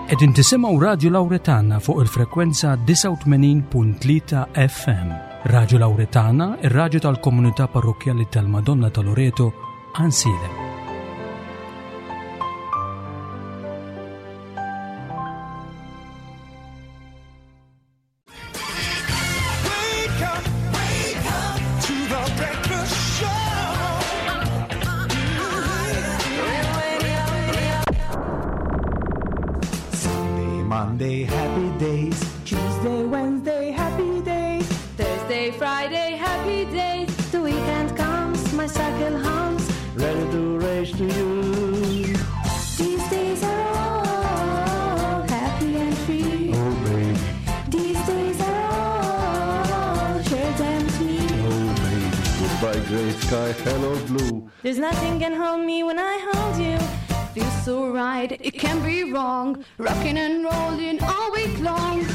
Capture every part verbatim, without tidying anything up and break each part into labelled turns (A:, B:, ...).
A: Qegħdin tisimgħu Radio Lauretana fuq il-frekwenza disgħa u tmenin punt tlieta F M. Radio Lauretana, ir-radju tal-komunità parrokkjali tal-Madonna ta' Loreto, Għajnsielem.
B: Wake up, wake up to the breakfast show.
C: Sunday, Monday, happy days.
D: Tuesday, Wednesday, happy days.
E: Thursday, Friday, happy days.
F: The weekend comes, my cycle hums.
C: Ready to race to you.
F: These days are all happy and free.
C: Oh, baby,
F: These days are all share them with me.
C: Oh, baby. Goodbye, gray sky, hello, blue.
F: There's nothing can hold me when I hold you.
E: Feels so right, it can't be wrong. Rocking and rolling all week long.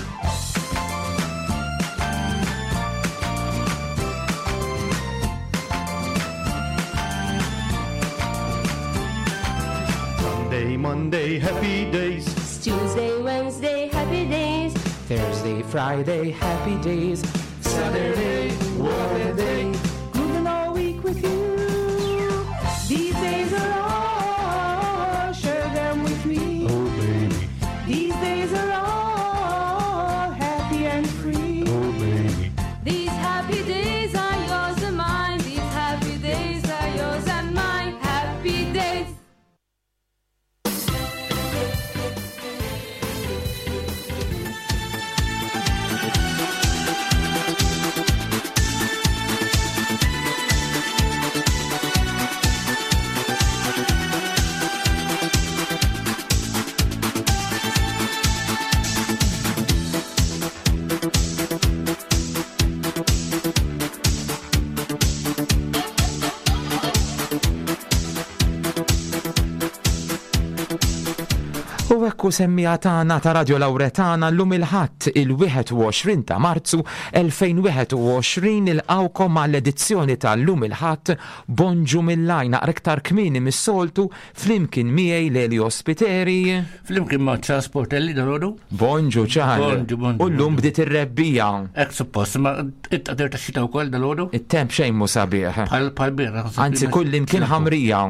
C: Sunday, Monday, happy days.
F: Tuesday, Wednesday, happy days.
G: Thursday, Friday, happy days.
C: Saturday, what a day.
D: Grooving all week with you. These days are all, share them with me.
C: Oh, baby,
D: These days are all happy and free.
C: Oh, baby.
E: These happy days are yours and mine. These happy days are yours and mine. Happy days.
G: U ekku, semmiegħa tagħna ta' Radio Lauretana, llum il-Ħadd il-wieħed u għoxrin ta' Marzu elfejn u wieħed u għoxrin, nilqgħukom għall-edizzjoni ta' llum il-Ħadd Bonġu mill-Għajn naqra iktar kmieni mis-soltu, flimkien miegħi Leli Ospiteri.
H: Flimkien ma' Charles Portelli dalgħodu.
G: Bonġu, Charles.
H: Bonġu, bonġu,
G: U llum
H: bonġu.
G: bdiet ir-rebbiegħa.
H: Hekk suppost, ma it-taqdir ta' xita wkoll dalgħodu.
G: It-temp xejn mhu sabiħ.
H: Bħal bħal birra.
G: Anzi, kull imkien ħamrija.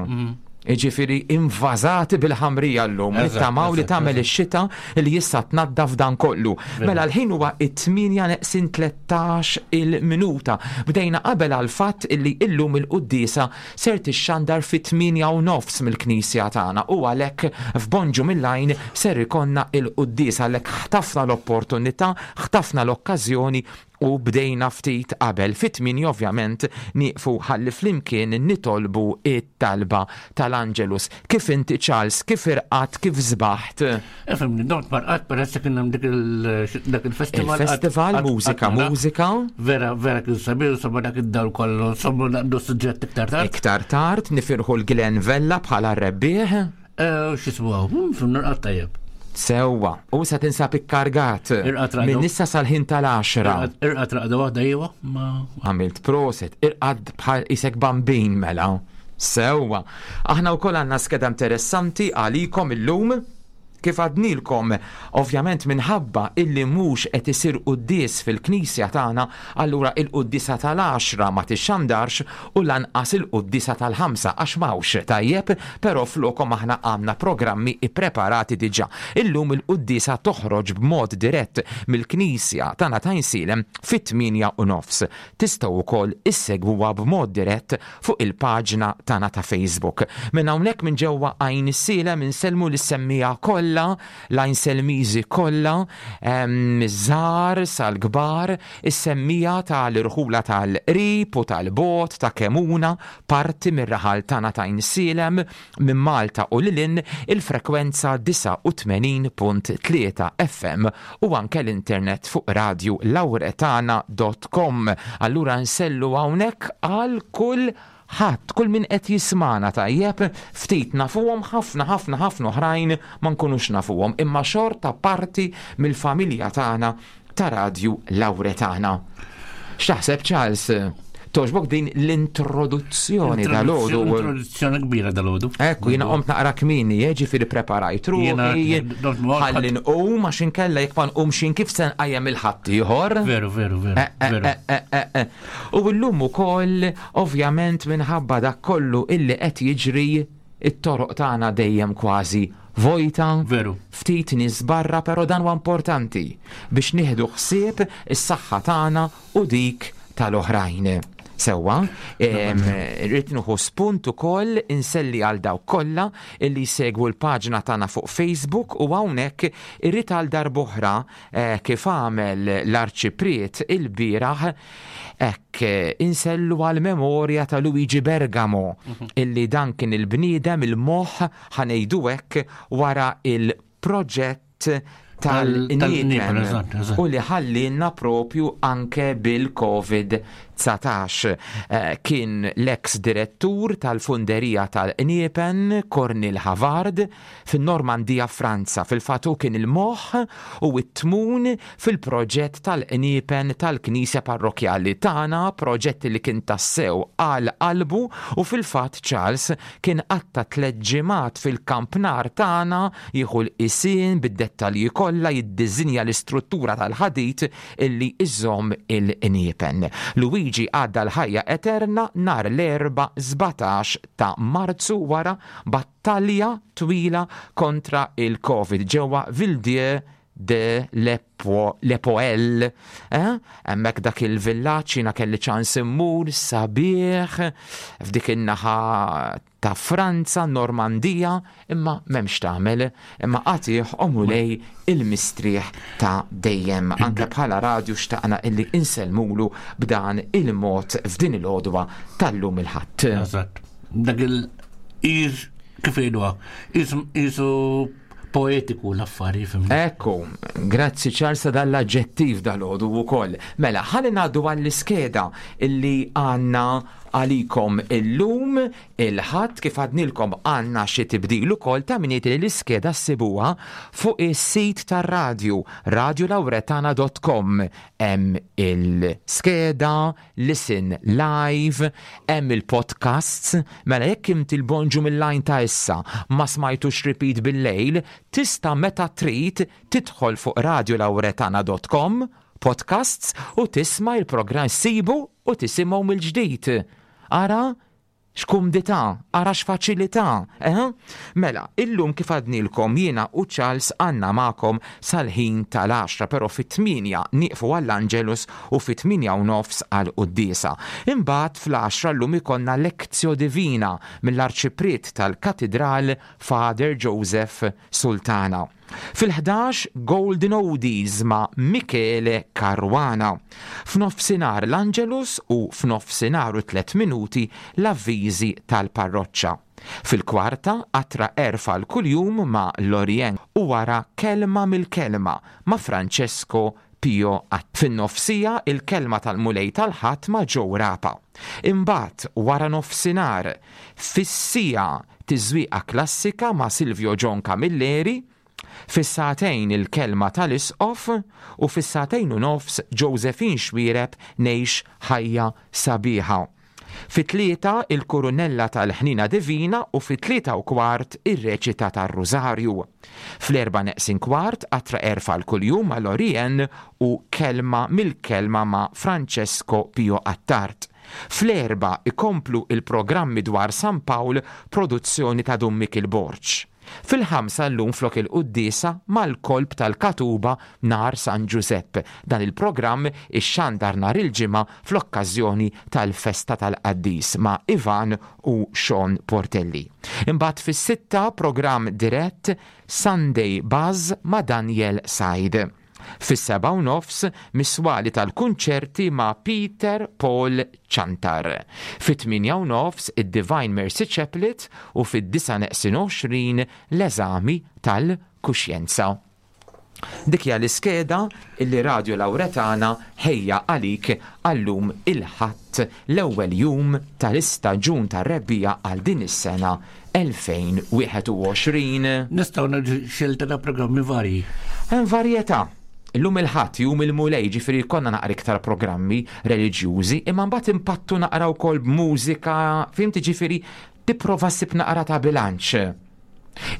G: Iġifiri invażati bil-ħamrija llum.
H: Eżatt,
G: Nittamaw li
H: eżatt,
G: tagħmel
H: eżatt.
G: ix-xita li jista' tnaddaf dan kollu. Mela l-ħin huwa it-tmienja neqsin tlettax il-minuta. Bdejna qabel għal fatt illi illum il-quddiesa ser tixxandar fit-tmienja u nofs mill-knisja tagħna u għalhekk f'Bonġu mill-Għajn ser ikollna il-quddiesa, għalhekk ħtafna l-opportunità, ħtafna l-okkażjoni u bdejna ftit qabel. Fit-tmienja ovvjament nieqfu ħalli flimkien nitolbu it-talba tal-Angelus. Kif inti, Charles, kif irqadt, kif sbaħt?
H: Ifhimni, dont marqat peress kien hemm dik il- dak il-festival.
G: Il-festival,
H: għat-
G: mużika,
H: għat-
G: mużika.
H: Vera, vera kien sabiħ, insomma dak id-dawl kollu, insomma naqdu suġġett iktar tard.
G: Iktar tard nifirħu l-Glenn Vella bħala rebbieħ.
H: Eh, X'ismu hawn, fimni rqadt tajjeb.
G: Sewwa, u sa tinsab ikkargat
H: Irqad raqdu.
G: minn issa sal-ħin tal-għaxra.
H: Irqad irqad raqda waħda iwa, ma
G: Għamilt prosit, irqad bħal isek bambin mela. Sewwa. Aħna wkoll għandna skeda interessanti għalikom illum. Kif għednielkom, ovvjament minħabba illi mhux qed isir quddies fil-knisja tagħna, allura il-quddiesa tal-għaxra ma tixxandarx u lanqas il-quddiesa tal-ħamsa għax m'hawnx, tajjeb, però flokom aħna għandna programmi ippreparati diġà. Illum il-quddiesa toħroġ b'mod dirett mill-knisja tagħna ta' Għajnsielem fit-tmienja u nofs. Tistgħu wkoll issegwuha b'mod dirett fuq il-paġna tagħna ta' Facebook. Minn hawnhekk minn ġewwa Għajnsielem insellmu lis-semmiegħa kollha, l-Għajnselmiżi kollha, żgħar sal-kbar, is-semmiegħa tal-irħula tal-qrib u tal-bogħod, ta' Kemuna, parti mir-raħal tagħna ta' Għajnsielem, minn Malta u lil hinn, il-frekwenza disgħa u tmenin punt tlieta F M u anke l-internet fuq radio lauretana punt com. Allura nsellu hawnhekk għal kull ħadd, kull min qed jismana, tajjeb, ftit nafuhom, ħafna ħafna ħafna oħrajn ma nkunux nafuhom, imma xorta parti mill-familja tagħna ta' Radju Lauretana. X'taħseb, Charles? Togħġbok din l-introduzzjoni dal-għodu?
H: Introduzzjoni kbira dal-għodu.
G: Ekku, jiena qomt naqra kmieni, ġifieri preparajt ruħi, ħalli nqum għax inkella jekk ma nqumx kif se nqajjem il-ħaddieħor.
H: Veru, veru, veru.
G: Eh, eh, eh, eh, U llum ukoll, ovvjament minħabba dak kollu illi qed jiġri, it-toroq tagħna dejjem kważi vojta.
H: Veru.
G: Ftit nies barra, però dan huwa importanti biex nieħdu ħsieb is-saħħa tagħna u dik tal-oħrajn. Sewwa, rrid nieħu spunt ukoll inselli għal dawk kollha illi jsegwu l-paġna tagħna fuq Facebook u hawnhekk irrid għal darb'oħra eh, kif għamel l-Arċipriet il-bieraħ hekk insellu għal memorja ta' Luigi Bergamo illi dan kien il-bniedem il-moħħ ħa ngħidu hekk wara il-proġett tal-qniepen u li ħallinna propju anke bil-Covid dsatax. Eh, kien l-ex direttur tal-funderija tal-qniepen Cornel Havard fin-Normandija Franza. Fil-fatt hu kien il-moħħ u t-tmun fil-proġett tal-qniepen tal-Knisja Parrokjali tagħna, proġett li kien tassew għal qalbu u fil-fatt Charles kien qatta tliet ġimgħat fil-kampnar tagħna jieħu l-qisien bid-dettalji kollha jiddiżinja l-istruttura tal-ħadid illi iżomm il-qniepen. Luigi għadda l-ħajja eterna nhar l-Erbgħa sbatax ta' Marzu wara battalja twila kontra il-Covid ġewwa Villedieu de Lepoel. Eh? Hemmhekk dak il-villaġġ jiena kelli ċans immur sabiħ f'dik in-naħa ta' Franza, Normandija, imma m'hemmx tagħmel, imma għatih o Mulej il-mistrieħ ta' dejjem. Anke bħala radju xtaqna illi insellmulu b'dan il-mod f'din il-għodwa tal-lum il-Ħadd.
H: Eżatt. Dak il-iż kif jgħiduha, isu poetiku l-affari, fimni.
G: Ekku, grazzi Charles dal-aġġettiv dal-għodu wkoll. Mela, ħalli ngħaddu għall-iskeda illi għandna għalikom illum il-Ħadd. Kif għadnilkom għandna xi tibdil ukoll ta' min li l-iskeda ssibuha fuq is-sit tar-radju radiolauretana dot com. Hemm il-skeda, listen live, hemm il-podcasts. Mela jekk inti l-bonġu mill-line ta' issa ma smajtux repeat bil-lejl, tista' meta trid tidħol fuq radiolauretana dot com podcasts u tisma' il-programm sibu u tisimgħu mill-ġdid. Ara x'kumdità, ara x'faċilità, eh? Mela, illum kif għadnilkom jiena u Charles għandna magħkom sal-ħin tal-għaxra, però fit-tmienja nieqfu għall-Angelus u fit-tmienja u nofs għall-quddiesa. Imbagħad fl-għaxra llum ikollna Lectio Divina mill-Arċipriet tal-Katidral Father Joseph Sultana. Fil-ħdax Golden Oldies ma' Michele Caruana. F'nofsinhar l-Angelus u f'nofsinhar u tliet minuti l-avviżi tal-parroċċa. Fil-kwarta qatra erfa l-kuljum ma' Lorien u wara kelma mill-kelma ma' Francesco Pio Att. Fin-nofsija il-kelma tal-Mulej tal-Ħadd ma' Joe Rapa. Imbagħad wara nofsinhar fis-sija tiżwieqa klassika ma' Silvio John Camilleri, fis-sagħtejn il-kelma tal-Isqof u fis-sagħtejn u nofs Josephine Xwireb ngħix ħajja sabiħa. Fit-tlieta il-Kurunella tal-Ħnina Divina u fit-tlieta u kwart ir-reċita tar-Rużarju. Fl-erba' neqsin kwart qatra erfa l-kuljum ma' Lorien u kelma mill-kelma ma' Francesco Pio Attard. Fl-erba' ikomplu il-programmi dwar San Pawl, produzzjoni ta' Dun Mikil Borg. Fil-ħamsa llum flok il-quddiesa mal-kolb tal-Katuba nhar San Giuseppe. Dan il-programm ixxandar nhar il-Ġimgħa fl-okkażjoni tal-festa tal-Qaddis ma' Ivan u Sean Portelli. Imbagħad fis-sitta programm dirett Sunday Buzz ma' Daniel Said. Fis-seba' u nofs miswali tal-kunċerti ma' Peter Paul Chantar. Fit-tmienja u nofs id-Divine Mercy Chaplet u fid-disa' neqsin għoxrin l-eżami tal-kuxjenza. Dik hija l-iskeda illi Radio Lauretana ħejja għalik għallum il-Ħadd l-ewwel jum tal-istaġun tar-rebbiegħa għal din is-sena elfejn wieħed u għoxrin.
H: Nistgħu nagħmlu xilta ta' programmi varji.
G: Hemm varjetà. Illum il-Ħadd, jum il-Mulej, ġifieri konna naqra iktar programmi reliġjużi, imma mbagħad impattu naqra wkoll b'mużika, fimti, ġifieri tipprova ssib naqra ta' bilanċ.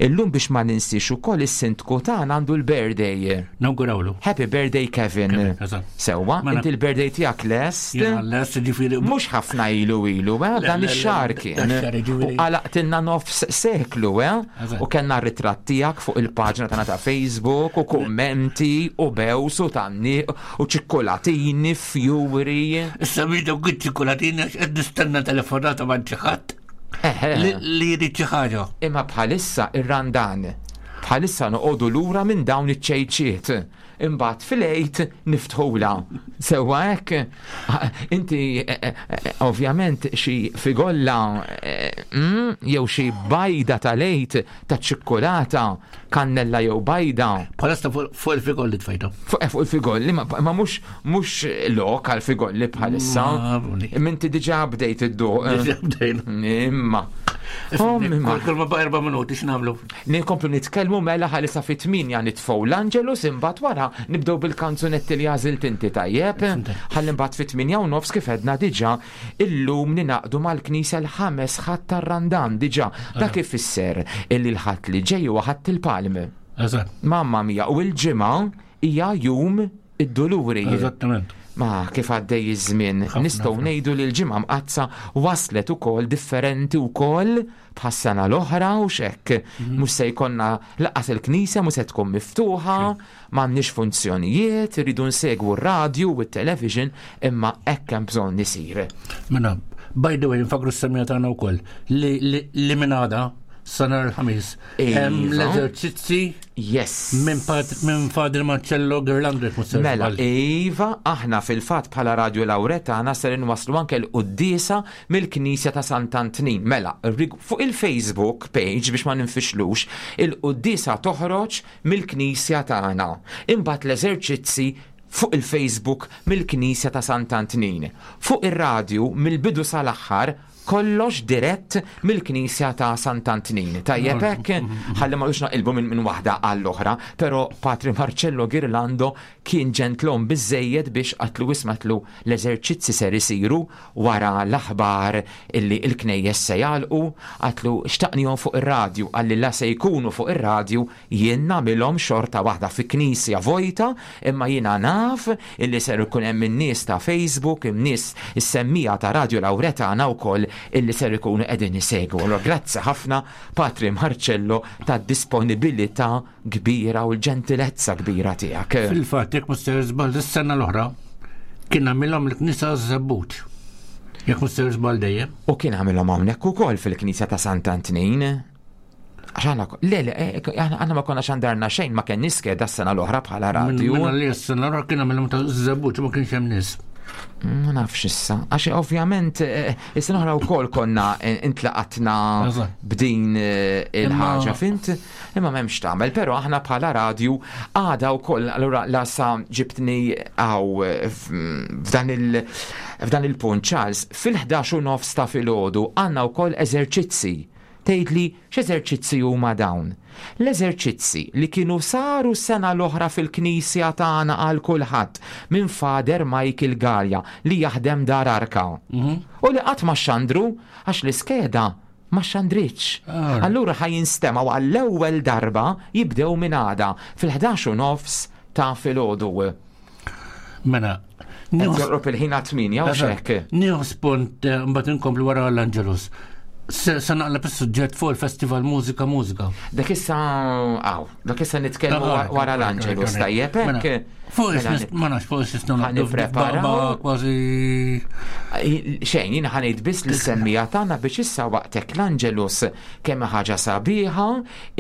G: Illum biex ma ninsiex ukoll, is-sindku tagħna għandu l-birthday.
H: Nawgurawlu.
G: Happy birthday, Kevin.
H: Kevin, eżatt.
G: Sewwa,
H: Mela-
G: inti l-birthday tiegħek lest?
H: Jiena lest, ġifieri.
G: Mhux ħafna ilu ilu, eh?
H: Le,
G: Dan
H: le, le,
G: ix-xahar
H: dan
G: kien.
H: ix-xahar, ġifieri.
G: U għalaqtilna nofs seklu, eh?
H: Eżatt.
G: U kellna ritratt tiegħek fuq il-paġna tagħna ta' Facebook u kummenti u bews u tanni u ċikkolatini, fjuri.
H: Issa bidu għid ċikkolatini għax qed nistenna telefonata ma' xi ħadd
G: Eħe.
H: li li jrid xi ħaġa.
G: Imma bħalissa ir-Randan. Bħalissa noqogħdu lura minn dawn iċ-ċejċiet. Imbagħad fil-Għid niftħula. Sewwa hekk, inti eh, eh, eh, ovvjament xi figolla eh, mm, jew xi bajda tal-Għid ta' ċikkulata, kannella jew bajda.
H: Bħalissa fuq fuq il-figolli tfajta.
G: Fuq eh, fuq il-figolli, ma, ma mhux mhux lok għal figolli bħalissa.
H: Ma, buni.
G: Minti diġà bdejt idduq.
H: Diġà bdejna.
G: Imma. Oh, imma.
H: Kull ma ba' erba' minuti x'nagħmlu?
G: Ninkomplu nitkellmu mela ħalissa fit-tmienja nitfgħu l-Angelus, imbagħad wara nibdew bil-kanzunetti li għażilt inti, tajjeb. Ħalli mbagħad fit-tmienja u nofs, kif edna diġà, illum ninaqdu mal-Knisja l-ħames Ħadd tar-Randan diġà. Dak ifisser illi l-Ħadd li ġej huwa Ħadd il-Palm.
H: Eżatt.
G: Mamma mia, u l-Ġimgħa hija Jum id-Duluri.
H: Eżattament.
G: Ma kif għaddej iż-żmien,
H: Ħafna,
G: nistgħu
H: ħafna.
G: ngħidu li l-Ġimgħa Mqaddsa waslet ukoll differenti wkoll bħas-sena l-oħra u xekk.
H: Mhm.
G: Mhux se jkollna lanqas il-knisja mhux se tkun miftuħa, m'għandniex funzjonijiet, irridu nsegwu r-radju u t-television, imma hekk hemm bżonn isir.
H: Mela, by the way, nfakru s-semmiegħa tagħna wkoll li li li minn għada sa nhar il-Ħamis hemm
G: Iva.
H: l-eżerċizzi
G: Yes.
H: minn Pat- minn Father Marcello Girlando, jekk mhux se
G: Mela,
H: żball.
G: iva, aħna fil-fatt bħala Radio Lauretana ser inwaslu anke l-quddiesa mill-Knisja ta' Sant'Antnin. Mela, rig- fuq il-Facebook page, biex ma ninfixlux, il-quddiesa toħroġ mill-Knisja tagħna. Imbagħad l-eżerċizzi fuq il-Facebook mill-Knisja ta' Sant'Antnin. Fuq ir-radju mill-bidu sal-aħħar kollox dirett mill-Knisja ta' Sant'Antnin. Tajjeb hekk, ħalli ma naqilbu minn min waħda għall-oħra, però Patri Marcello Girlando kien ġentlom biżejjed biex qatlu ismatlu l-eżerċizzi ser isiru wara l-aħbar illi il-knejjes se jagħlqu, qatlu xtaqnihom fuq ir-radju, qalli la se jkunu fuq ir-radju, jien nagħmilhom xorta waħda fi knisja vojta, imma jiena naf illi ser ikun hemm in-nies ta' Facebook, in-nies is-semmiegħa ta' Radio Lauretana wkoll illi ser ikunu qegħdin isegwu. Allora grazzi ħafna, Patri Marcello, tad-disponibilità kbira u l-ġentilezza kbira tiegħek.
H: Fil-fatt, jekk mhux se żball, is-sena l-oħra kien għamilhom l-Knisja Żebbuġ. Jekk mhux se żball dejjem.
G: U kien għamilhom hawnhekk ukoll fil-Knisja ta' Sant'Antnin. Għax aħna, le, le, eh, aħna aħna ma konna xandarna xejn, ma kien niskeda s-sena l-oħra bħala radju.
H: Minna li s-sena l-oħra kien għamilhom ta' Żebbuġ, ma kienx hemm nies.
G: Ma nafx issa, għax ovvjament eh, is-sena oħra wkoll konna eh, intlaqatna
H: Eżatt.
G: b'din eh, il-ħaġa,
H: Imma-
G: fint, imma m'hemmx tagħmel, però aħna bħala radju għada wkoll, allura la sa ġibtni għaw eh, f- f'dan il- f'dan il-punt, Charles, fil-ħdax u nofs ta' filgħodu għandna wkoll eżerċizzi. Tgħidli x'eżerċizzi huma dawn? L-eżerċizzi li kienu saru sena l-oħra fil-knisja tagħna għal kulħadd minn Father Michael Gallia li jaħdem Dar Arka. U li qatt ma xandru għax l-iskeda ma xandritx.
H: Ah.
G: Allura ħa jinstemgħu għall-ewwel darba, jibdew minn għada fil-ħdax u nofs ta' filgħodu.
H: Mela,
G: Qed joqrob il-ħin għat-tmienja u xek.
H: Nieħu spunt, eh, mbagħad inkomplu wara l-Angelus. Se se naqleb is-suġġett fuq il-Festival Mużika Mużika.
G: Dak issa, għaw, dak issa nitkellmu
H: Ah,
G: wara l-Angelus, tajjeb
H: Mela,
G: hekk.
H: Fuq
G: Mela,
H: is ma nafx fuq is nistgħu
G: Ħa
H: naqdu
G: nippreparaw.
H: kważi.
G: Xejn, jiena ħa ngħid biss lis-semmiegħa tagħna biex issa waqtek l-Angelus, kemm ħaġa sabiħa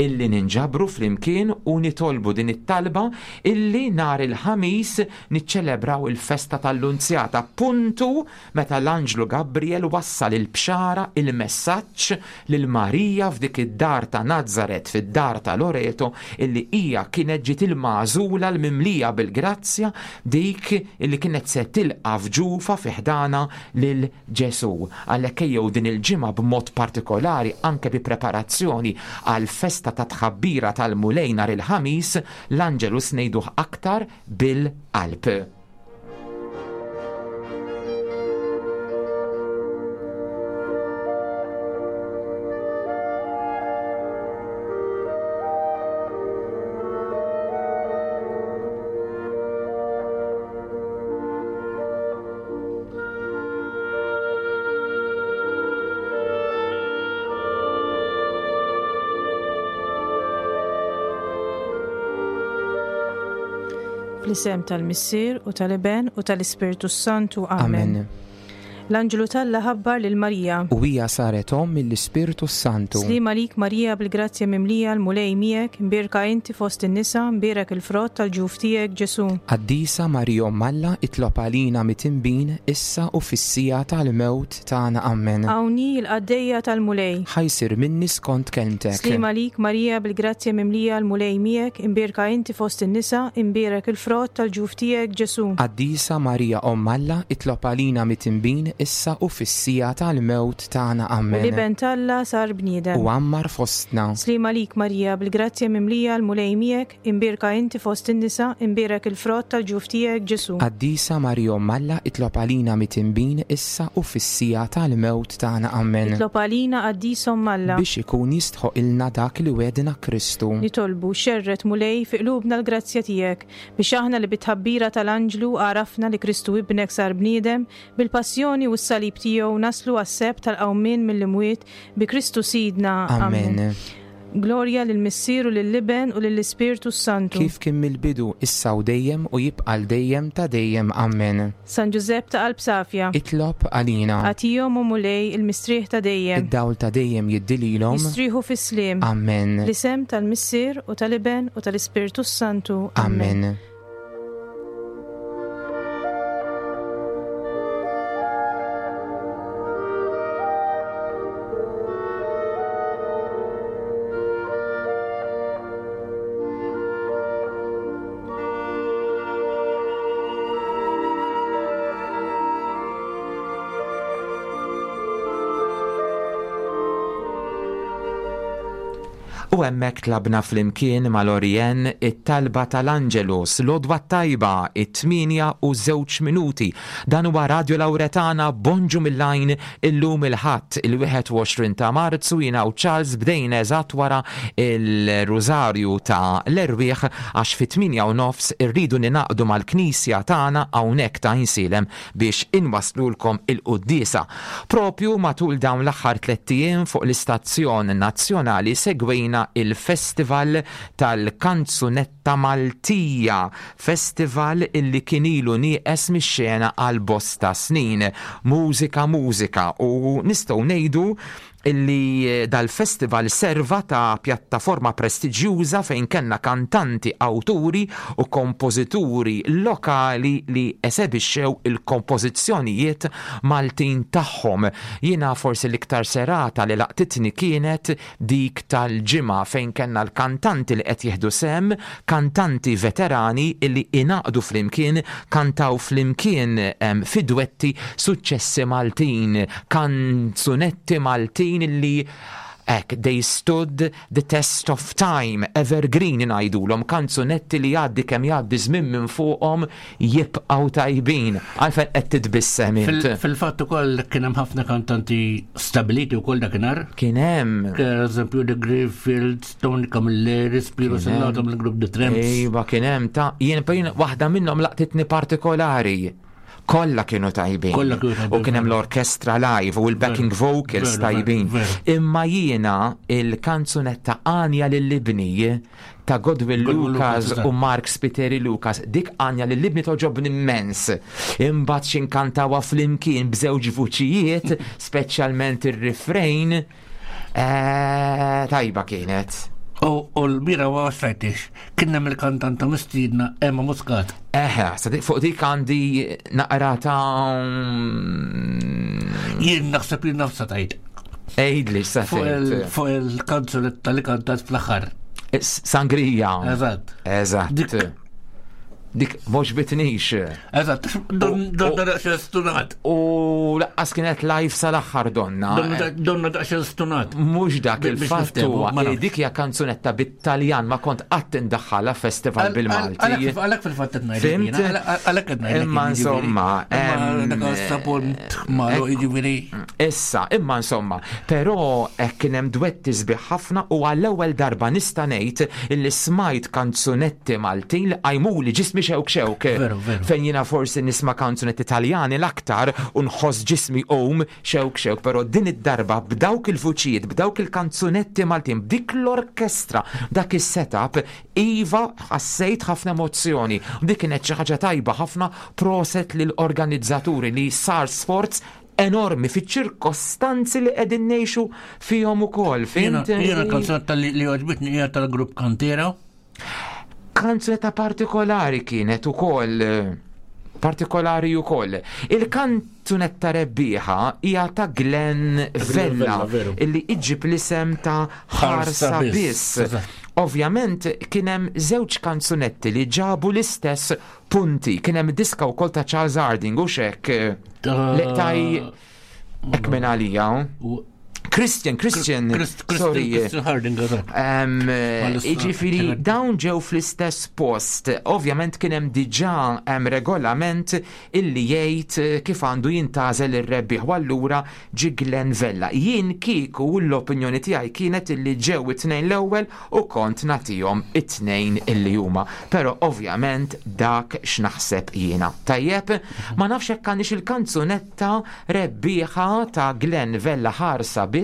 G: illi ninġabru flimkien u nitolbu din it-talba illi nhar il-Ħamis niċċelebraw il-festa tal-Lunzjata, puntu meta l-Anġlu Gabriel wassal il-bxara, il-messaġġ. messaġġ lil Marija f'dik id-dar ta' Nazaret, fid-dar ta' Loreto, illi hija kienet ġiet il-magħżula l-mimlija bil-grazzja, dik illi kienet se tilqa' f'ġufa fi ħdana lil Ġesù. Għalhekk ejjew din il-ġimgħa b'mod partikolari anke bi preparazzjoni għal festa ta' tħabbira tal-Mulej nhar il-Ħamis, l-Angelus ngħiduh aktar bil-qalb.
D: Fl-isem tal-Missier u tal-Iben u tal-Ispirtu Santu. Amen.
G: Amen.
D: L-Anġlu t'Alla ħabbar lil Marija.
G: U hija saret omm mill-Ispirtu Santu.
D: Slim għalik Marija bil-grazzja mimlija l-Mulej miegħek, imbierka inti fost in-nisa, imbierek il-frott tal-ġuf tiegħek Ġesù.
G: Qaddisa Marija Omm Alla, itlob għalina mitinbin issa u fis-siegħa tal-mewt tagħna. Amen.
D: Hawn hi l-qaddejja tal-Mulej.
G: Ħa jsir minni skont kelmtek.
D: Slim għalik Marija bil-grazzja mimlija l-Mulej miegħek, imbierka inti fost in-nisa, imbierek il-frott tal-ġuf tiegħek Ġesù.
G: Qaddisa Marija Omm Alla, itlob għalina mitinbin issa u fis-siegħa tal-mewt tagħna. Amen.
D: U l-Iben t'Alla sar bniedem.
G: U għammar fostna.
D: Slim għalik Marija bil-grazzja mimlija l-Mulej miegħek, imbierka inti fost in-nisa, imbierek il-frott tal-ġuf tiegħek Ġesù.
G: Qaddisa Marija Omm Alla, itlob għalina mitinbin issa u fis-siegħa tal-mewt tagħna. Amen.
D: Itlob għalina Qaddisa Omm Alla.
G: Biex ikun jistħoq ilna dak li wedna Kristu.
D: Nitolbu xerret Mulej fi qlubna l-grazzja tiegħek biex aħna li bit-tħabbira tal-Anġlu għarafna li Kristu ibnek sar bniedem, bil-passjoni u s-salib tiegħu naslu għas-seb tal-qawmien mill-imwiet bi Kristu Sidna.
G: Amen.
D: Glorja lill-Missier u lill-Iben u lill-Ispirtu Santu.
G: Kif kien mill-bidu, issa u dejjem u jibqa' l dejjem ta' dejjem. Amen.
D: San Ġużepp ta' qalb safja.
G: Itlob għalina.
D: Agħtihom o Mulej il-mistrieħ ta' dejjem.
G: Id-dawl ta' dejjem jiddililhom.
D: Jistrieħu fis-sliem.
G: Amen.
D: L-isem tal-Missier u tal-Iben u tal-Ispirtu Santu.
G: Amen. U hemmhekk tlabna flimkien mal-Orien it-talba tal-Angelus, l-għodwa tajba, it-tmienja u żewġ minuti. Dan huwa Radio Lauretana, bonġu mill-lajn illum il-Ħadd il-wieħed u għoxrin ta' Marzu. Jiena u Charles bdejna eżatt wara il-Rużarju ta' l-Erwieħ għax fit-tmienja u nofs irridu ninaqdu mal-Knisja tagħna hawnhekk ta' Għajnsielem biex inwaslulkom il-quddiesa. Propju matul dawn l-aħħar tlett ijiem fuq l-istazzjon nazzjonali segwejna il-Festival tal-Kanzunetta Maltija, festival illi kien ilu nieqes mix-xena għal bosta snin. Mużika, mużika, u nistgħu ngħidu illi dal-festival serva ta' pjattaforma prestiġjuża fejn kellna kantanti, awturi u kompożituri lokali li esebixxew il-kompożizzjonijiet Maltin tagħhom. Jiena forsi l-iktar serata li laqtitni kienet dik tal-Ġimgħa fejn kellna l-kantanti li qed jieħdu sem, kantanti veterani illi inaqdu flimkien, kantaw flimkien, em, fi dwetti suċċessi Maltin, kanzunetti Maltin illi ek, they stood the test of time, evergreen ngħidulhom, kanzunetti li jgħaddi kemm jgħaddi żmien minn fuqhom jibqgħu tajbin. Għalfejn qed titbissem int?
H: Fil-, fil-fatt ukoll kien hemm ħafna kantanti stabiliti wkoll dakinhar.
G: Kien hemm.
H: Per eżempju The Greenfields, Tony Camilleri, Spiro
G: Kien hemm.
H: Sellato mill-grupp The Tramps.
G: Ejwa, kien hemm ta' jien jien waħda minnhom laqtitni partikolari. Kollha kienu tajbin.
H: Kollha kienu tajbin.
G: U kien hemm l-orkestra live u l-backing
H: Veru,
G: vocals
H: veru,
G: tajbin.
H: veru.
G: Imma jiena il-kanzunetta Għanja lill-Ibni ta' Godwin
H: Godwin
G: Lucas
H: Lucas, eżatt.
G: u Mark Spiteri Lucas, dik Għanja lill-Ibni toġobni immens. Imbagħad xi nkantawha flimkien b'żewġ vuċijiet, speċjalment ir-refrain, eh, tajba kienet.
H: U, u l-bira ma waslajtix, kien hemm il-kantanta mistiedna Emma Muscat.
G: Eħe, sa dik- fuq dik għandi naqra ta'
H: Jien naħseb li nafsa tajt.
G: Għidli sa
H: Fuq il-
G: tgħid.
H: fuq il-kanzunetta li kantat fl-aħħar.
G: Sangrija.
H: Eżatt.
G: Eżatt.
H: Dik-
G: Dik mhux bitnix.
H: Eżatt, donna daqsxejn stunat.
G: U laqqas kienet live sal-aħħar donna.
H: Donna daqsxejn stunat.
G: Mhux dak
H: Biex
G: il-fatt
H: niftehmu,
G: huwa
H: ma
G: li
H: nafx.
G: dik hija kanzunetta bit-Taljan ma kont qatt indaħħalha festival bil-Malti.
H: Għalek fil-fatt qed ngħidlek
G: Fimt?
H: jiena, għalek qed ngħidlek
G: Imma
H: jien, jiġifieri.
G: insomma,
H: Imma
G: em,
H: dak għas-sapunt malu jiġifieri.
G: Issa, imma insomma, però hekk kien hemm dwetti sbieħ ħafna u għall-ewwel darba nista' ngħid illi smajt kanzunetti Maltin li qajmuli ġismi xewk xewk.
H: Veru, veru.
G: Fejn jiena forsi nisma' kanzunetti Taljani l-aktar u nħoss ġismi qum xewk xewk, però din id-darba b'dawk il-vuċijiet, b'dawk il-kanzunetti Maltin, b'dik l-orkestra, dak is-setup, iva ħassejt ħafna emozzjoni. U Dik kienet xi ħaġa tajba ħafna proset lill-organizzaturi li sar sforz enormi fiċ-ċirkostanzi li qegħdin ngħixu fihom ukoll.
H: Jiena
G: Fint?
H: jiena kanzunetta li li għoġbitni hija tal-grupp Kantera.
G: Kanzunetta partikolari kienet ukoll partikolari ukoll. Il-kanzunetta rebbieħa hija ta' Glenn Vella
H: Vella, veru.
G: illi iġib l-isem ta' Ħarsa
H: Ħarsa
G: Biss.
H: Biss, eżatt.
G: Ovvjament kien hemm żewġ kanzunetti li ġabu l-istess punti. Kien hemm diska wkoll ta' Charles Harding u xek
H: Ta'
G: li taj hekk minn għalija.
H: u-
G: Christian, Christian,
H: Christ- Christian
G: sorry.
H: Christian Harding, eżatt.
G: Um,
H: Mal-istra-
G: Iġifiri,
H: kienet-
G: dawn ġew fl-istess post. Ovvjament kien hemm diġà hemm regolament illi jgħid eh, kif għandu jintażel ir-rebbieħ u allura ġi Glenn Vella. Jien kieku l-opinjoni tiegħi kienet illi ġew it-tnejn l-ewwel u kont nagħtihom it-tnejn illi huma. Però ovvjament dak x'naħseb jiena. Tajjeb, ma nafx hekk għandix il-kanzunetta rebbieħa ta' Glenn Vella ħarsa biss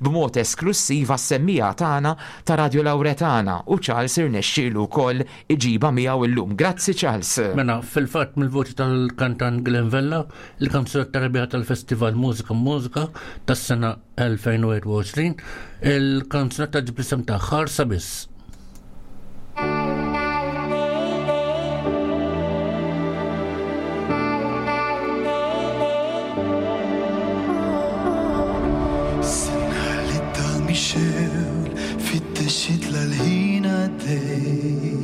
G: b'mod esklusiv għas-semmija tagħna ta' Radio Lauretana u Charles irnexxielu wkoll iġiba miegħu illum. Grazzi Charles.
H: Mela, fil-fatt mill-voċi tal-kantant Glenn Vella, il-kanzunetta rebbieħa tal-Festival Mużika Mużika tas-sena elfejn u erbgħa u għoxrin, il-kanzunetta ġib l-isem ta' Ħarsa Biss.
B: Sena li dan Michel fit-texit l-ħin għaddej.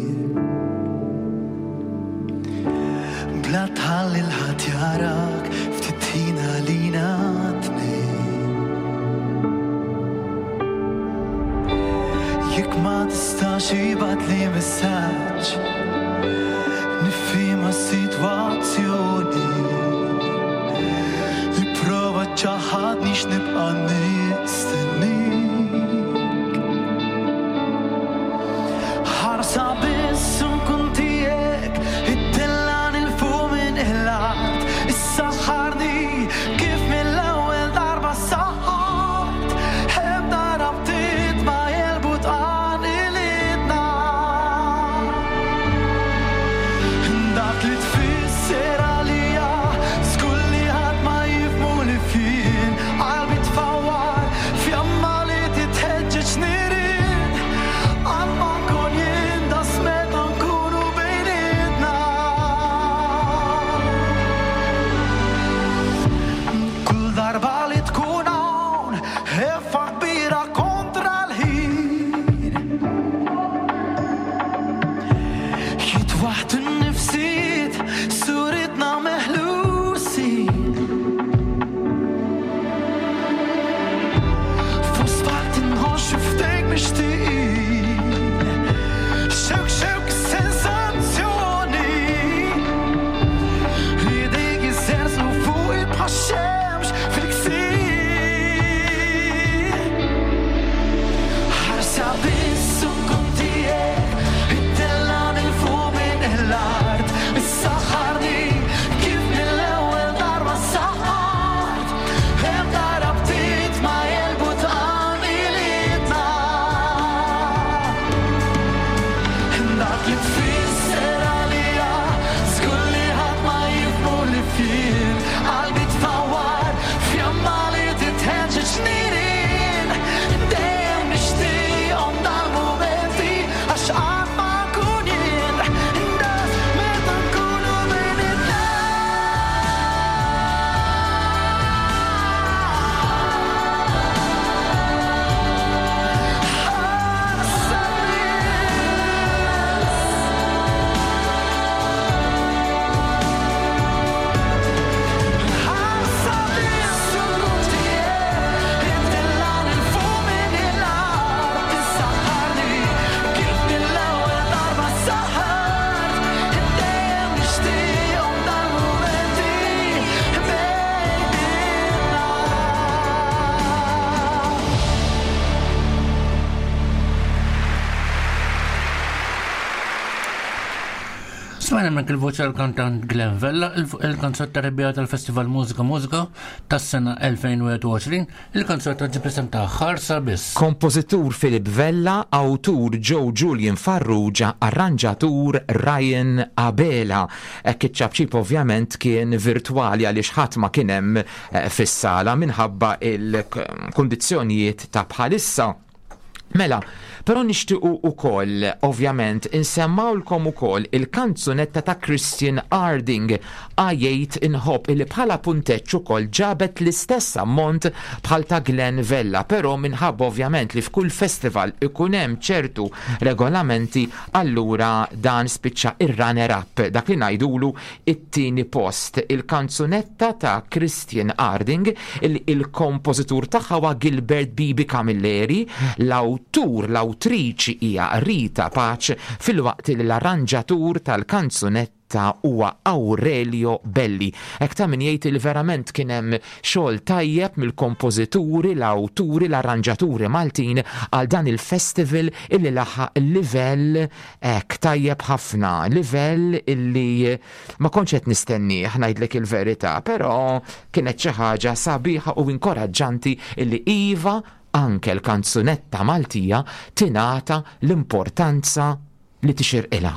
B: Bla tħalli l-ħadd jarak ftit ħin għalina tnejn. Jekk ma tistax ibgħatli messaġġ, nifhimha s-sitwazzjoni. Ipprova ċaħadni x'nibqa' nistennik. Ħarsa biss nkun tiegħek, ittellan il-fuq minn l-art, issaħħarni kif mill-ewwel darba saħħart. Ebda rabtiet ma jelbu tqanilitna. Dak li tfisser għalija, żgur li ħadd ma jifhmu li fien, qalbi tfawwar, fjamma
H: Smajna minn il-voċi tal-kantant Glenn Vella, il-kanzunetta rebbieħa tal-Festival Mużika Mużika tas-sena elfejn u wieħed u għoxrin, il-kanzunetta ġie preżentata Ħarsa Biss.
G: Kompożitur Philip Vella, awtur Joe Julian Farrugia, arranġatur Ryan Abela. Hekk iċ-ċapċip ovvjament kien virtuali għaliex ħadd ma kien hemm eh, fis-sala minħabba il-kundizzjonijiet ta' bħalissa. Mela, però nixtiequ ukoll, ovvjament, insemmawlkom ukoll il-kanzunetta ta' Christian Harding, Għajjejt Inħobb, illi bħala punteġġ ukoll ġabet l-istess ammont bħal ta' Glenn Vella, però minħabba ovvjament li f'kull festival ikun hemm ċertu regolamenti, allura dan spiċċa ir-runner-up, dak li ngħidulu it-tieni post. Il-kanzunetta ta' Christian Harding, il-kompożitur tagħha huwa Gilbert Bibi Camilleri, l-awtur, l-awtriċi hija Rita Pace, filwaqt li l-arranġatur tal-kanzunetta huwa Aurelio Belli. Hekk ta' min jgħid li verament kien hemm xogħol tajjeb mill-kompożituri, l-awturi, l-arranġaturi Maltin għal dan il-festival illi laħaq livell hekk tajjeb ħafna, livell illi ma kontx qed nistennih, ngħidlek il-verità, però kienet xi ħaġa sabiħa u inkoraġġanti illi iva, anke l-kanzunetta Maltija tingħata l-importanza li tixirqilha.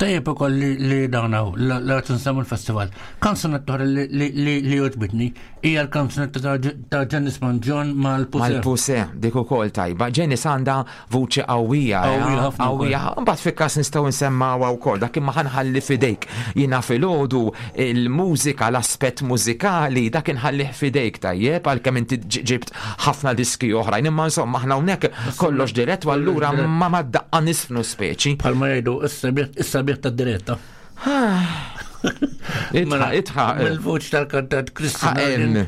H: Tajjeb ukoll li, li dawnaw, la nsemmu l-festival. Kanzunetta oħra li, li, li, li għoġbitni hija l-kanzunetta ta' ta' Janice Mangion mal-Puse.
G: Mal-Puse, dik ukoll tajba. Janice għandha vuċi qawwija.
H: Qawwija
G: eh?
H: ħafna wkoll.
G: Qawwija. Mbagħad fil-każ nistgħu nsemmawha wkoll, dak imma ħa nħalli f'idejk. Jiena filgħodu il-mużika, l-aspett mużikali, dak inħallih f'idejk, tajjeb, għalkemm inti ġ- ġibt ħafna diski oħrajn. Imma insomma aħna hawnhekk kollox dirett u allura ma mad-daqqa nisfnu speċi.
H: Bħalma jgħidu, is-sabiħ is-sabiħ tad-diretta.
G: Itħa, itħa.
H: Mill-vuċi tal-kantant Christian
G: Ħa,
H: Harding,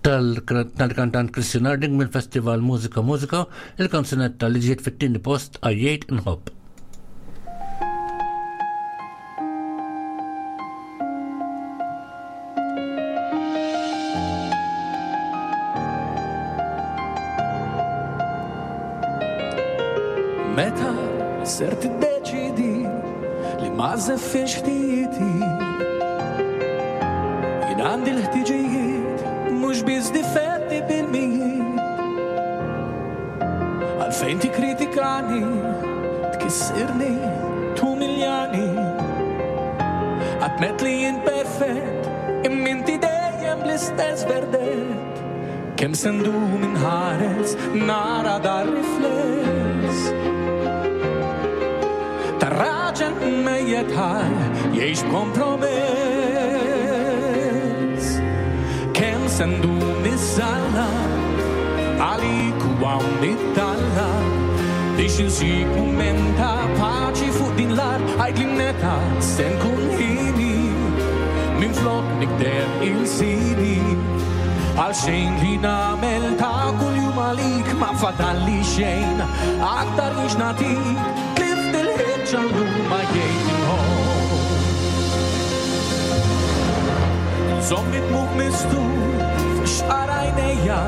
H: tal-kantant Christian Harding mill-Festival Mużika Mużika, il-kanzunetta li ġiet fit-tieni post, Għajjejt Inħobb.
B: Meta ser tiddeċidi li ma żeffiex ħtijieti? Jien għandi l-ħtiġijiet, mhux biss difetti bil-mijiet. Għalfejn tikkritikani, tkissirni, tumiljani? Għadtmet li jien perfett, imma inti dejjem l-istess verdett. Kemm se ndum inħares, nara dar rifless ta' raġel mejjet ħaj jgħix b'kompromess? Kemm se ndum nizzalla għalik u hawn nittalla biex insib mument ta' paċi fuq din l-art? Għidli meta se nkun hieni minn flok nikdeb il-sidi. Għal xejn li nagħmel ta' kuljum għalik ma fadalli xejn aktar biex nagħtik. Tlift il-ħeġġa llum, għajjejt inħobb. Żomm id-dmugħ mistur f'xqar għajnejja,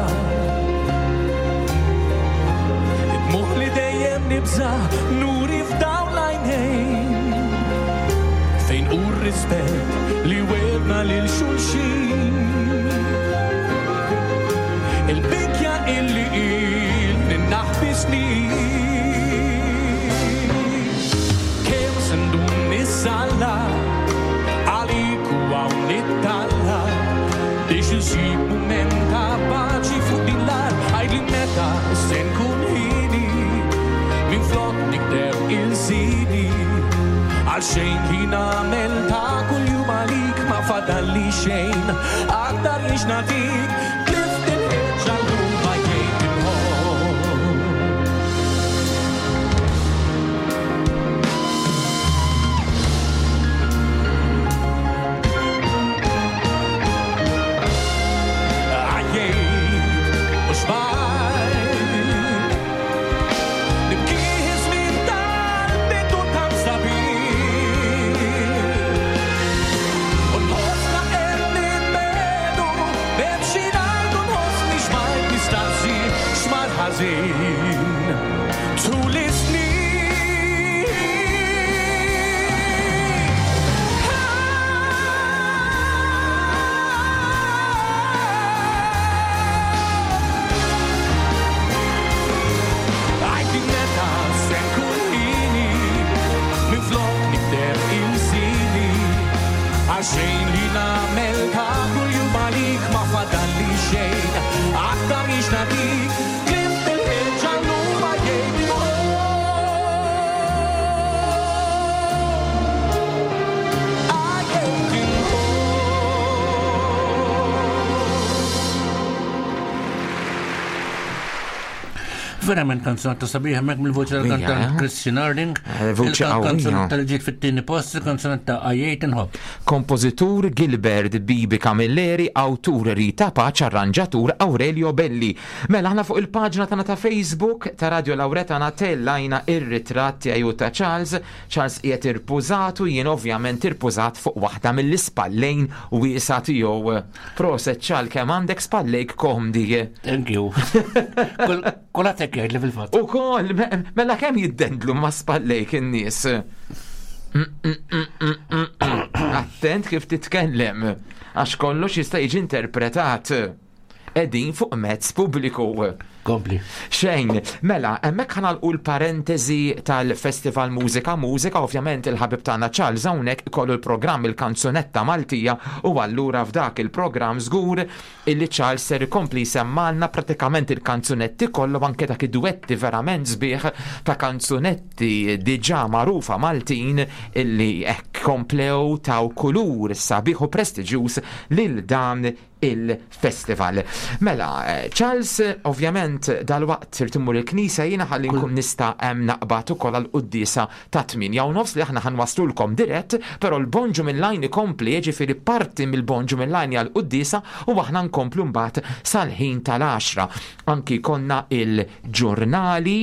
B: id-dmugħ li dejjem nibża nuri f'dawn l-għajnejn. Fejn hu r-rispett li wegħedna lil xulxin? Il-bikja illi ilni naħbi snin. Kemm se ndum nissalla għalik u hawn nittalla biex insib mument ta' paċi fuq din l-art? Għidli meta se nkun hieni minn flok nikdeb il-sidi. Għal xejn li nagħmel ta' kuljum għalik ma fadalli xejn aktar biex nagħtik. Tlift il-ħeġġa llum, għajjejt inħobb. Għajjejt u xbajt nibkih żmien tal-bidu tant sabiħ u nħossna qed nitbedu. M'hemm xi
H: Verament kanzunetta sabiħa hemmhekk mill-voċi tal-kantant
G: eh?
H: Christian Harding.
G: Eh, voċi qawwija.
H: Il-kanzunetta li ġiet fit-tieni post, il-kanzunetta Għajjejt Inħobb.
G: Kompożitur Gilbert Bibi Camilleri, awtur Rita Pace, arranġatur Aurelio Belli. Mela aħna fuq il-paġna tagħna ta' Facebook ta' Radio Lauretana tellajna ir-ritratt tiegħu ta' Charles. Charles qiegħed irpużat u jien ovvjament irpużat fuq waħda mill-ispallejn wiesa tiegħu. Proset Charles, kemm għandek spallejk komdi.
H: Thank you. Kulħadd hekk jgħidli fil-fatt.
G: U kol, mela kemm jiddendlu ma' spallejk in-nies. Mm, mm, mm, mm, mm, mm. Attent kif titkellem, għax kollox jista' jiġi interpretat. Qegħdin fuq mezz pubbliku.
H: Kompli.
G: Xejn, mela, hemmhekk ħa nagħlqu l-parentesi tal-Festival Mużika Mużika, ovvjament il-ħabib tagħna Charles hawnhekk ikollu l-programm il-kanzunetta Maltija u allura f'dak il-programm żgur illi Charles ser ikompli jsemmalna pratikament il-kanzunetti kollu, anke dak id-duetti verament sbieħ ta' kanzunetti diġà magħrufa Maltin illi hekk komplew taw kulur sabiħ u prestiġjuż lil dan il-festival. Mela, eh, Charles, ovvjament dal-waqt trid immur il-knisja, jiena ħalli nkun nista' hemm naqbad ukoll għall-quddiesa ta' tmienja u nofs li aħna ħa nwasslulkom dirett, però l-Bonġu Mil-Line ikompli, jiġifieri parti mill-Bonġu Mil-Line għall-quddiesa u aħna nkomplu mbagħad sal-ħin tal-għaxra. Anki konna il-ġurnali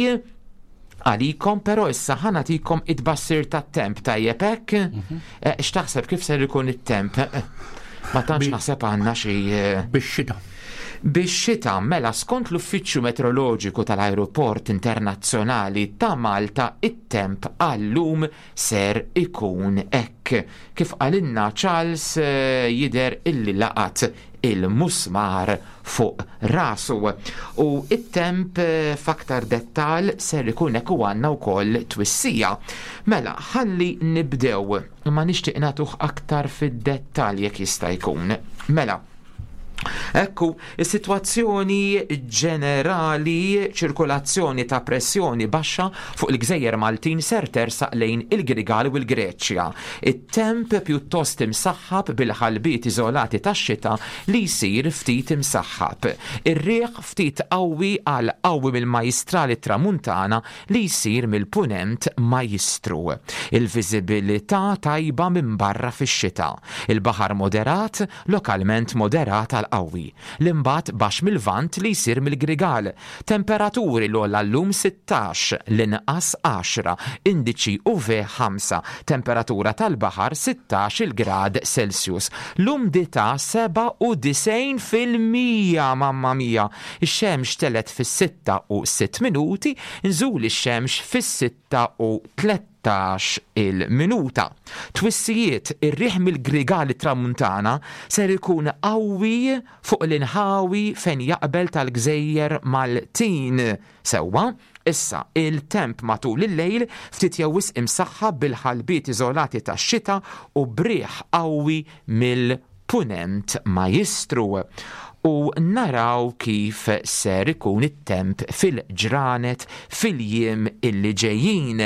G: għalikom, però issa ħa nagħtikom it-tbassir tat-temp, tajjeb hekk? Eh, X'taħseb kif ser ikun it-temp? Eh, Ma tantx
H: Bi-
G: naħseb għandna xi eh,
H: Bix-xita.
G: Bix-xita, mela, skont l-Uffiċċju Meteoroloġiku tal-Aeroport Internazzjonali ta' Malta, it-temp għallum ser ikun hekk. Kif qalilna Charles, eh, jidher illi laqat il-musmar fuq rasu. U it-temp eh, f'aktar dettal ser ikun hekk u għandna wkoll twissija. Mela, ħalli nibdew, ma nixtieq nagħtuh aktar fid-dettal jekk jista' jkun. Mela, ekku, is-sitwazzjoni ġenerali: ċirkolazzjoni ta' pressjoni baxxa fuq il-Gżejjer Maltin ser tersaq lejn il-Grigal u l-Greċja. It-temp pjuttost imsaħħab bil-ħalbiet iżolati tax-xita li jsir ftit imsaħħab. Ir-riħ ftit qawwi għal qawwi mill-Majstrali Tramuntana li jsir mill-Punent Majistru. Il-viżibilità tajba minn barra fix-xita. Il-baħar moderat, lokalment moderat għal qawwi. L-imbat baxx mil-Lvant li jsir mill-Grigal. Temperaturi: l-ogħla llum sittax, l-inqas għaxra, indiċi U V ħamsa, temperatura tal-baħar sittax il-grad Celsius. L-umdità sebgħa u disgħin fil-mija, mamma mia. Ix-xemx telgħet fis-sitta u sitt minuti, nżul ix-xemx fis-sitta u tlettax il-minuta. Twissijiet: ir-riħ mill-Grigali Tramuntana ser ikun qawwi fuq l-inħawi fejn jaqbel tal-Gżejjer Maltin. Sewwa, issa il-temp matul il-lejl ftit jew wisq imsaħħab bil-ħalbiet iżolati tax-xita u b'riħ qawwi mill-Punent Majistru. U naraw kif ser ikun it-temp fil-ġranet fil-jiem illi ġejjin.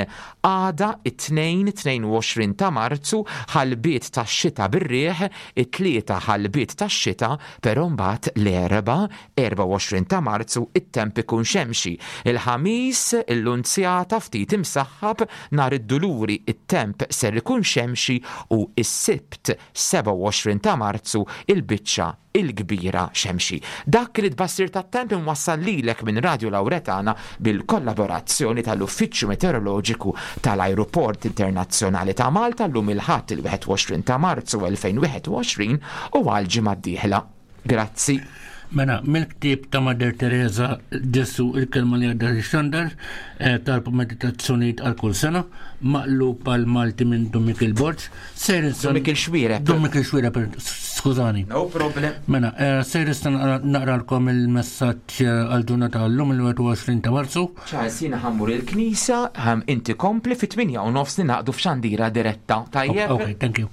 G: Għada it-tnejn tnejn u għoxrin ta' Marzu ħalbiet ta' xita bir-riħ, it-tlieta ħalbiet ta' xita, però mbagħad l-Erbgħa erbgħa u għoxrin ta' Marzu it-temp ikun xemxi. Il-Ħamis il-Lunzjata ftit imsaħħab, nhar id-Duluri it-temp ser ikun xemxi u is-Sibt sebgħa u għoxrin ta' Marzu il-biċċa il-kbira xemxi. Dak li tbassir tat-temp imwassal lilek minn Radio Lauretana bil-kollaborazzjoni tal-Uffiċċju Meteoroloġiku tal-Aeroport Internazzjonali ta' Malta llum il-Ħadd il-wieħed u għoxrin ta' Marzu elfejn u wieħed u għoxrin u għal ġimgħa d-dieħla. Grazzi.
H: Mela, mill-ktieb ta' Mother Teresa "Ġesù il-kelma li għadda xandar", eh, talb meditazzjonijiet għal kull sena, maqlub għal Malti minn Dun Mikiel Borg. Ser
G: Dun Mikiel Xuereb.
H: Dun Mikiel Xuereb, skużani.
G: No problem.
H: Mela, eh, ser issa naqralkom il-messaġġ eh, għal ġurnata llum il-wieħed u għoxrin ta' Marzu.
G: Charles, jiena ħa mmur il-knisja, ħam inti kompli, fit-tmienja u nofs ningħaqdu f'xandira diretta. Tajjeb?
H: Ok, thank you.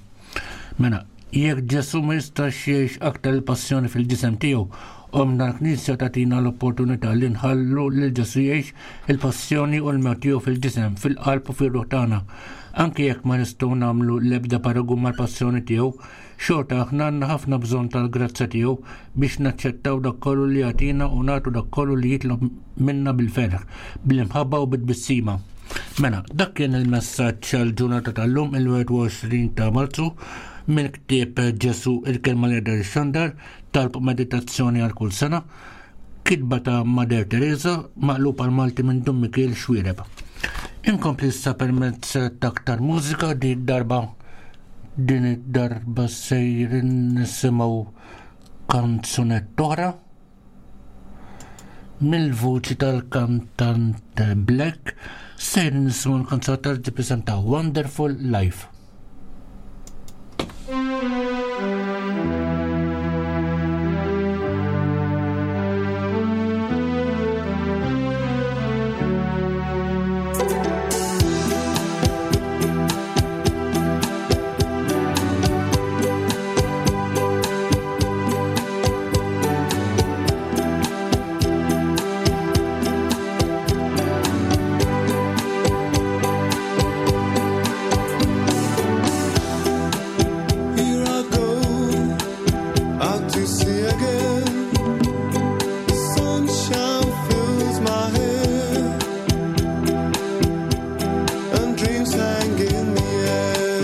H: Mela, jekk Ġesù ma jistax jgħix aktar il-passjoni fil-ġisem tiegħu, Ommna l-Knisja tagħtina l-opportunità li nħallu lil Ġesù jgħix il-passjoni u l-mewt tiegħu fil-ġisem, fil-qalb u fil-ruħ tagħna. Anki jekk ma nistgħu nagħmlu l-ebda paragun mal-passjoni tiegħu, xorta aħna għandna ħafna bżonn tal-grazzja tiegħu biex naċċettaw dak kollu li jagħtina u nagħtu dak kollu li jitlob minna bil-ferħ, bil-imħabba u bit-tbissima. Mela, dak kien il-messaġġ għall-ġurnata tal-lum il-wieħed u għoxrin ta' Marzu minn ktieb Ġesu il-kelma li jaqdar ixandar, talb meditazzjoni għal kull sena, kitba ta' Mother Teresa, maqlub għal Malti minn Dun Mikiel Xuereb. Inkompli issa permezz ta' aktar mużika. Din darba din id-darba sejrin nisimgħu kanzunetta oħra mill-vuċi tal-kantant Black. Sejrin nisimgħu l-kanzunetta li tippreżenta Wonderful Life.
I: Here I go out to sea again. The sunshine fills my hair, and dreams hang in the air.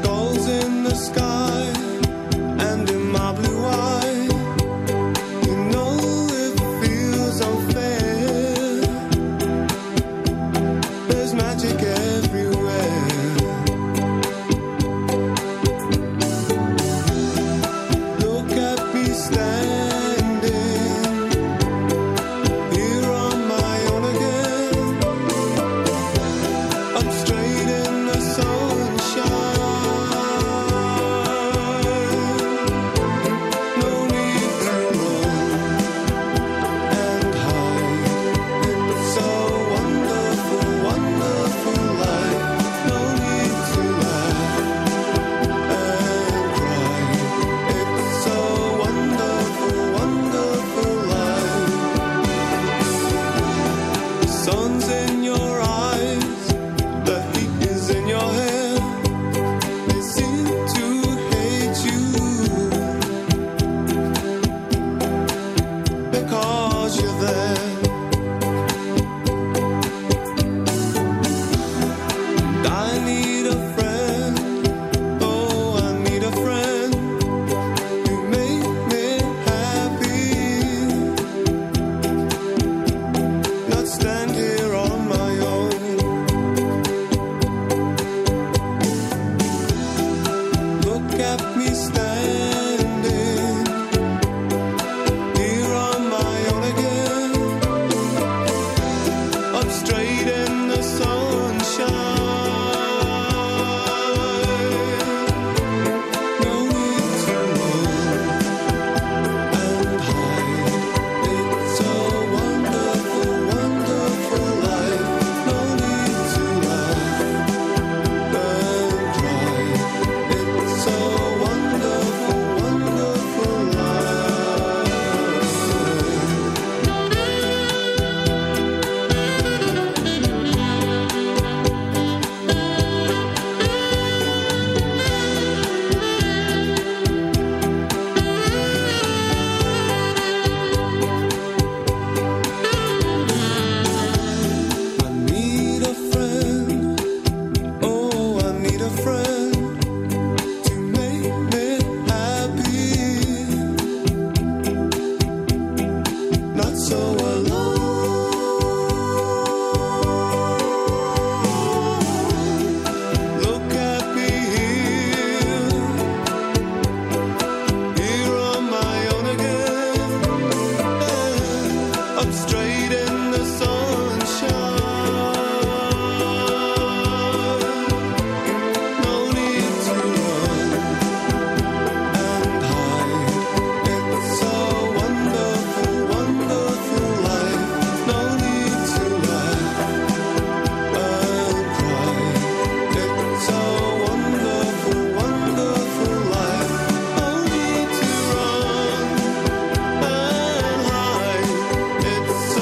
I: Gulls in the sky and in my blue eye. You know it feels unfair. There's magic everywhere. Look at me standing here on my own again. Up straight in the sunshine. No need to run and hide. It's a wonderful, wonderful life. No need to laugh and cry. It's a wonderful, wonderful life. The sun's in your eyes, the heat is in your hair. They seem to hate you because you're there. And I need a friend. Oh, I need a friend to make me happy. Not stand here on my own. Look at me standing here on my own again. Up straight in the sunshine. No need to run and hide. It's a wonderful, wonderful life. No need to laugh and cry. It's a wonderful, wonderful life. I need a friend. Oh, I need a friend to make me happy. Not so alone. Look at me here, here on my own again. Up straight in the sunshine. No need to run and hide. It's a wonderful, wonderful life. No need to laugh and cry. It's a wonderful, wonderful life. No need to run and hide. It's a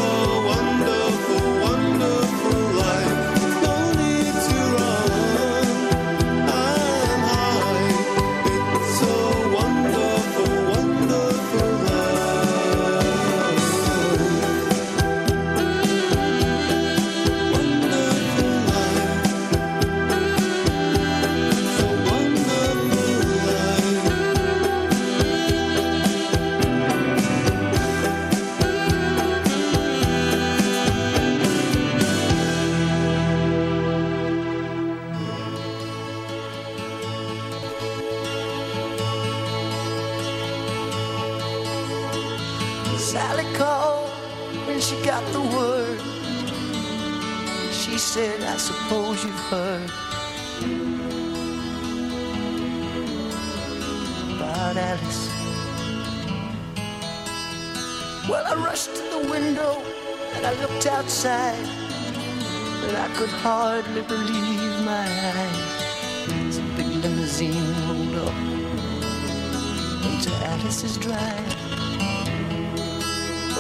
J: Sally called when she got the word. She said, I suppose you've heard about Alice. Well, I rushed to the window and I looked outside, and I could hardly believe my eyes as a big limousine rolled up into Alice's drive.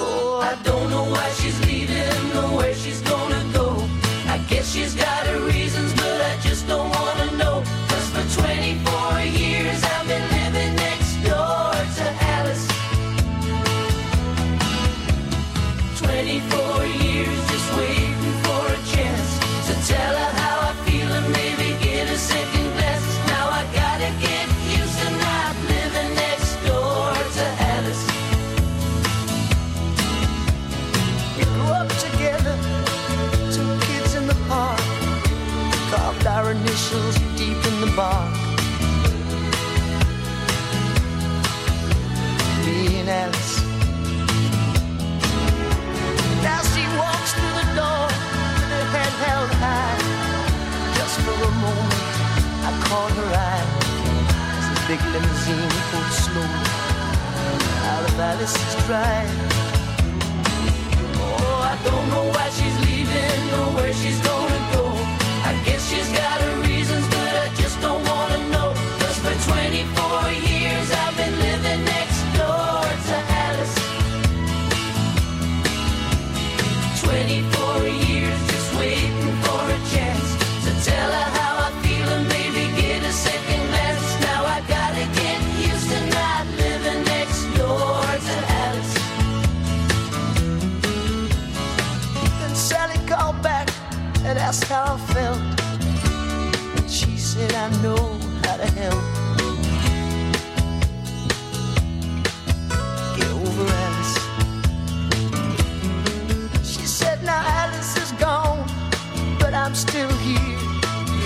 K: Oh, I don't know why she's leaving or where she's gonna go. I guess she's got her reasons, but I just don't wanna know. 'Cause for twenty-four years I've been living next door to Alice. twenty-four years just waiting for a chance to tell her how I feel and maybe get a second glance. Now I gotta get used to not living next door to Alice.
J: We grew up together, two kids in the park, carved our initials deep in the bark. Me and Alice. Now she walks through the door with her head held high. Just for a moment, I caught her eye as the big limousine pulled slowly out of Alice's drive.
K: Oh, I don't know why she's leaving or where she's gonna go. I guess she's got her reasons, but I just don't wanna know. 'Cause for twenty-four years I've been living next door to Alice. twenty-four years just waiting for a chance to tell her how I feel and maybe get a second glance. Now I gotta get used to not living next door to Alice.
J: Then Sally called back and asked how I felt, and she said, I know how to help. Get over Alice. She said, now Alice is gone, but I'm still here.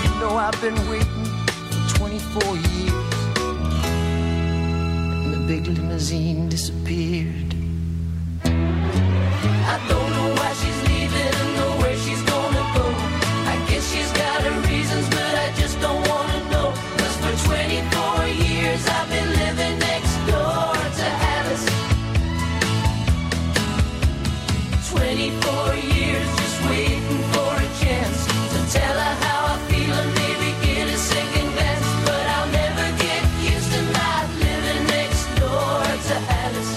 J: You know I've been waiting for twenty-four years. And the big limousine disappeared.
K: I don't know why she's leaving or where she's gonna go. I guess she's got her reasons, but I just don't wanna know. 'Cause for twenty-four years I've been living next door to Alice. twenty-four years just waiting for a chance to tell her how I feel and maybe get a second glance. But I'll never get used to not living next door to Alice.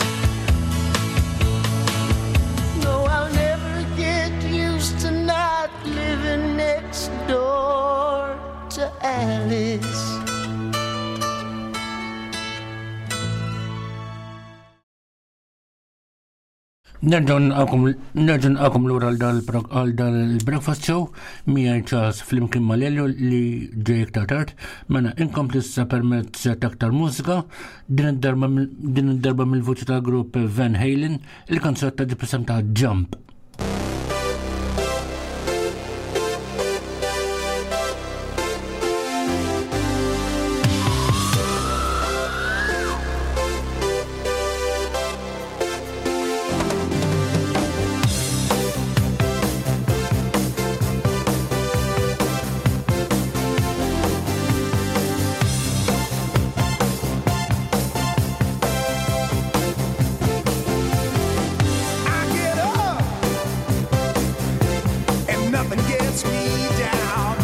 J: No, I'll never get used to not living next door to Alice.
H: Nerġgħu nilqagħkom lura għal dal-breakfast show miegħi Charles flimkien ma' Lelio li ġej iktar tard. Mela inkompli issa permezz ta' aktar mużika, din id-darba din id-darba mill-vuċi tal-grupp Van Halen, il-kanzunetta ġib ta' Jump.
L: I get up and nothing gets me down.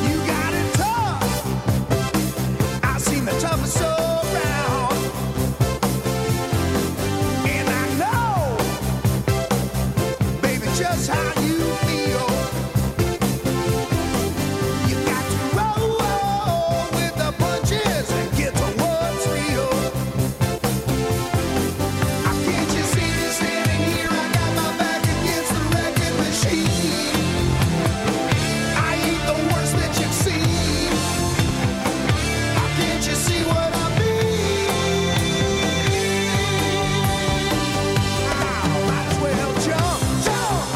L: You got it tough. I've seen the toughest around. And I know, baby, just how you feel. You got to roll with the punches and get to what's real. Can't you see me standing here? I got my back against the wrecking machine. I ain't the worst that you've seen. Can't you see what I mean? I might as well jump, jump.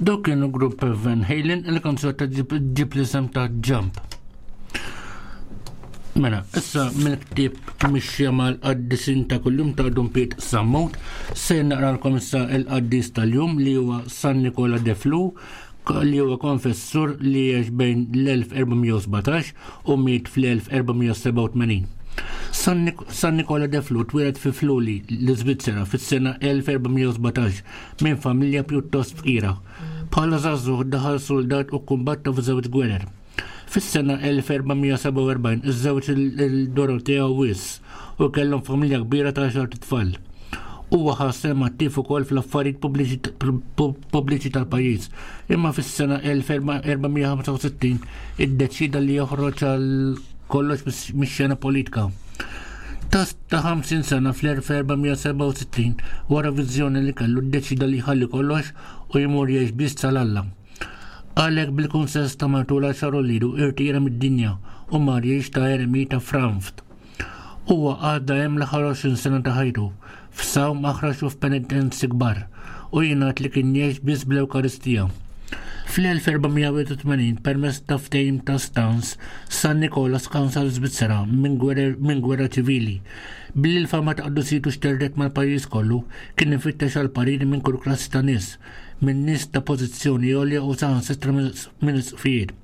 H: Dawk kienu grupp Van Halen, il-kanzunetta ġib l-isem ta' Jump. Mela, issa mill-ktieb Mixja mal-Qaddisin ta' Kuljum ta' Dun Piet Sammut, se naqralkom issa il-qaddis tal-jum li huwa San Nikola de Flu, li huwa konfessur li għex bejn l-elf erba' mija u sbatax u miet fl-elf erba' mija u sebgħa u tmenin. San, Nik San Nikola de Flu twieled fi Fluli, l-Iżvizzera, fis-sena elf erba' mija u sbatax minn familja pjuttost fqira. Bħala żagħżugħ daħal soldat u kumbatta f'żewġ gwerer. Fis-sena elf erba' mija u sebgħa u erbgħin iżżewġ il-Dorotea Wiss u kellhom familja kbira ta' għaxar tfal. Huwa ħa sehem attiv ukoll fl-affarijiet pubbliċi tal-pajjiż. Imma fis-sena elf erba' mija u ħamsa u sittin iddeċida li joħroġ għal kollox mix-xena politika. Ta' ta' ħamsin sena fl-elf erba' mija u sebgħa u sittin, wara viżjoni li kellu, ddeċida li jħalli kollox u jmur jgħix biss tal-Alla. Għalhekk, bil-kunsens ta' martu l-għaxar uliedu, irtira mid-dinja u mar jgħix ta' eremita Franft. Huwa għadda hemm l-aħħar għoxrin sena ta' ħajtu f'sawm aħrax u f'penitenzi kbar, u jingħad li kien jgħix biss bl-Ewkaristija. Fl-elf erba' mija u tmenin, permezz ta' ftehim ta' Stans, San Nikola skansa l-Svizzera minn gwerra ċivili. Billi l-fama ta' qdusitu xterdet mal-pajjiż kollu, kien ifittex għal pariri minn kull klassi ta' nies, minn nies ta' pożizzjoni għolja u saħansitra minn isqfijiet.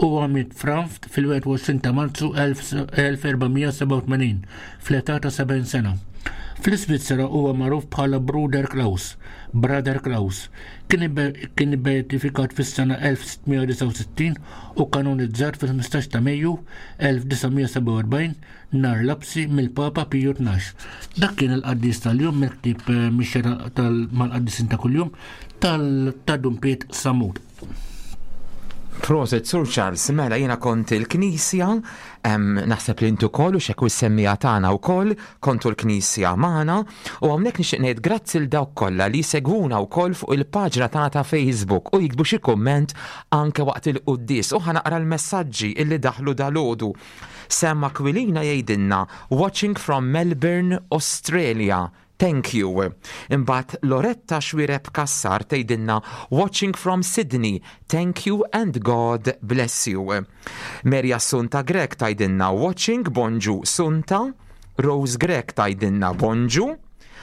H: Huwa miet Franft fil-wieħed u għoxrin ta' Marzu elf erba' mija u sebgħa u tmenin fl-età ta' sebgħin sena. Fl-Iżvizzera huwa magħruf bħala Bruder Klaus, Brother Klaus. Kien beatifikat fis-sena elf sitt mija u disgħa u sittin u kanonizzat fil-ħmistax ta' Mejju elf disa' mija u sebgħa u erbgħin nhar lapsi mill-Papa Piju Tnax. Dak kien il-qaddis tal-jum mill-ktieb Mixja mal-Qaddisin ta' Kuljum ta' Dun Piet Samut.
G: Prosit, Sur Charles, mela jiena kont il-Knisja, naħseb li intu koll u xekku s-semmija tagħna wkoll kontu l-Knisja magħna, u hawnhekk nixtieq ngħid grazzi l dawk kollha li segwuna wkoll fuq il-paġna tagħna ta' Facebook u jiktbu xi kumment anke waqt il-quddies, u ħa naqra l-messaġġi illi daħlu dalgħodu. Sam Aquilina jgħidilna, "Watching from Melbourne, Australia. Thank you." Imbagħad Loretta Xwireb Kassar tgħidilna, "Watching from Sydney. Thank you and God bless you." Merja Sunta Grek tgħidilna, "Watching, bonġu Sunta." Rose Grek tgħidilna, "Bonġu."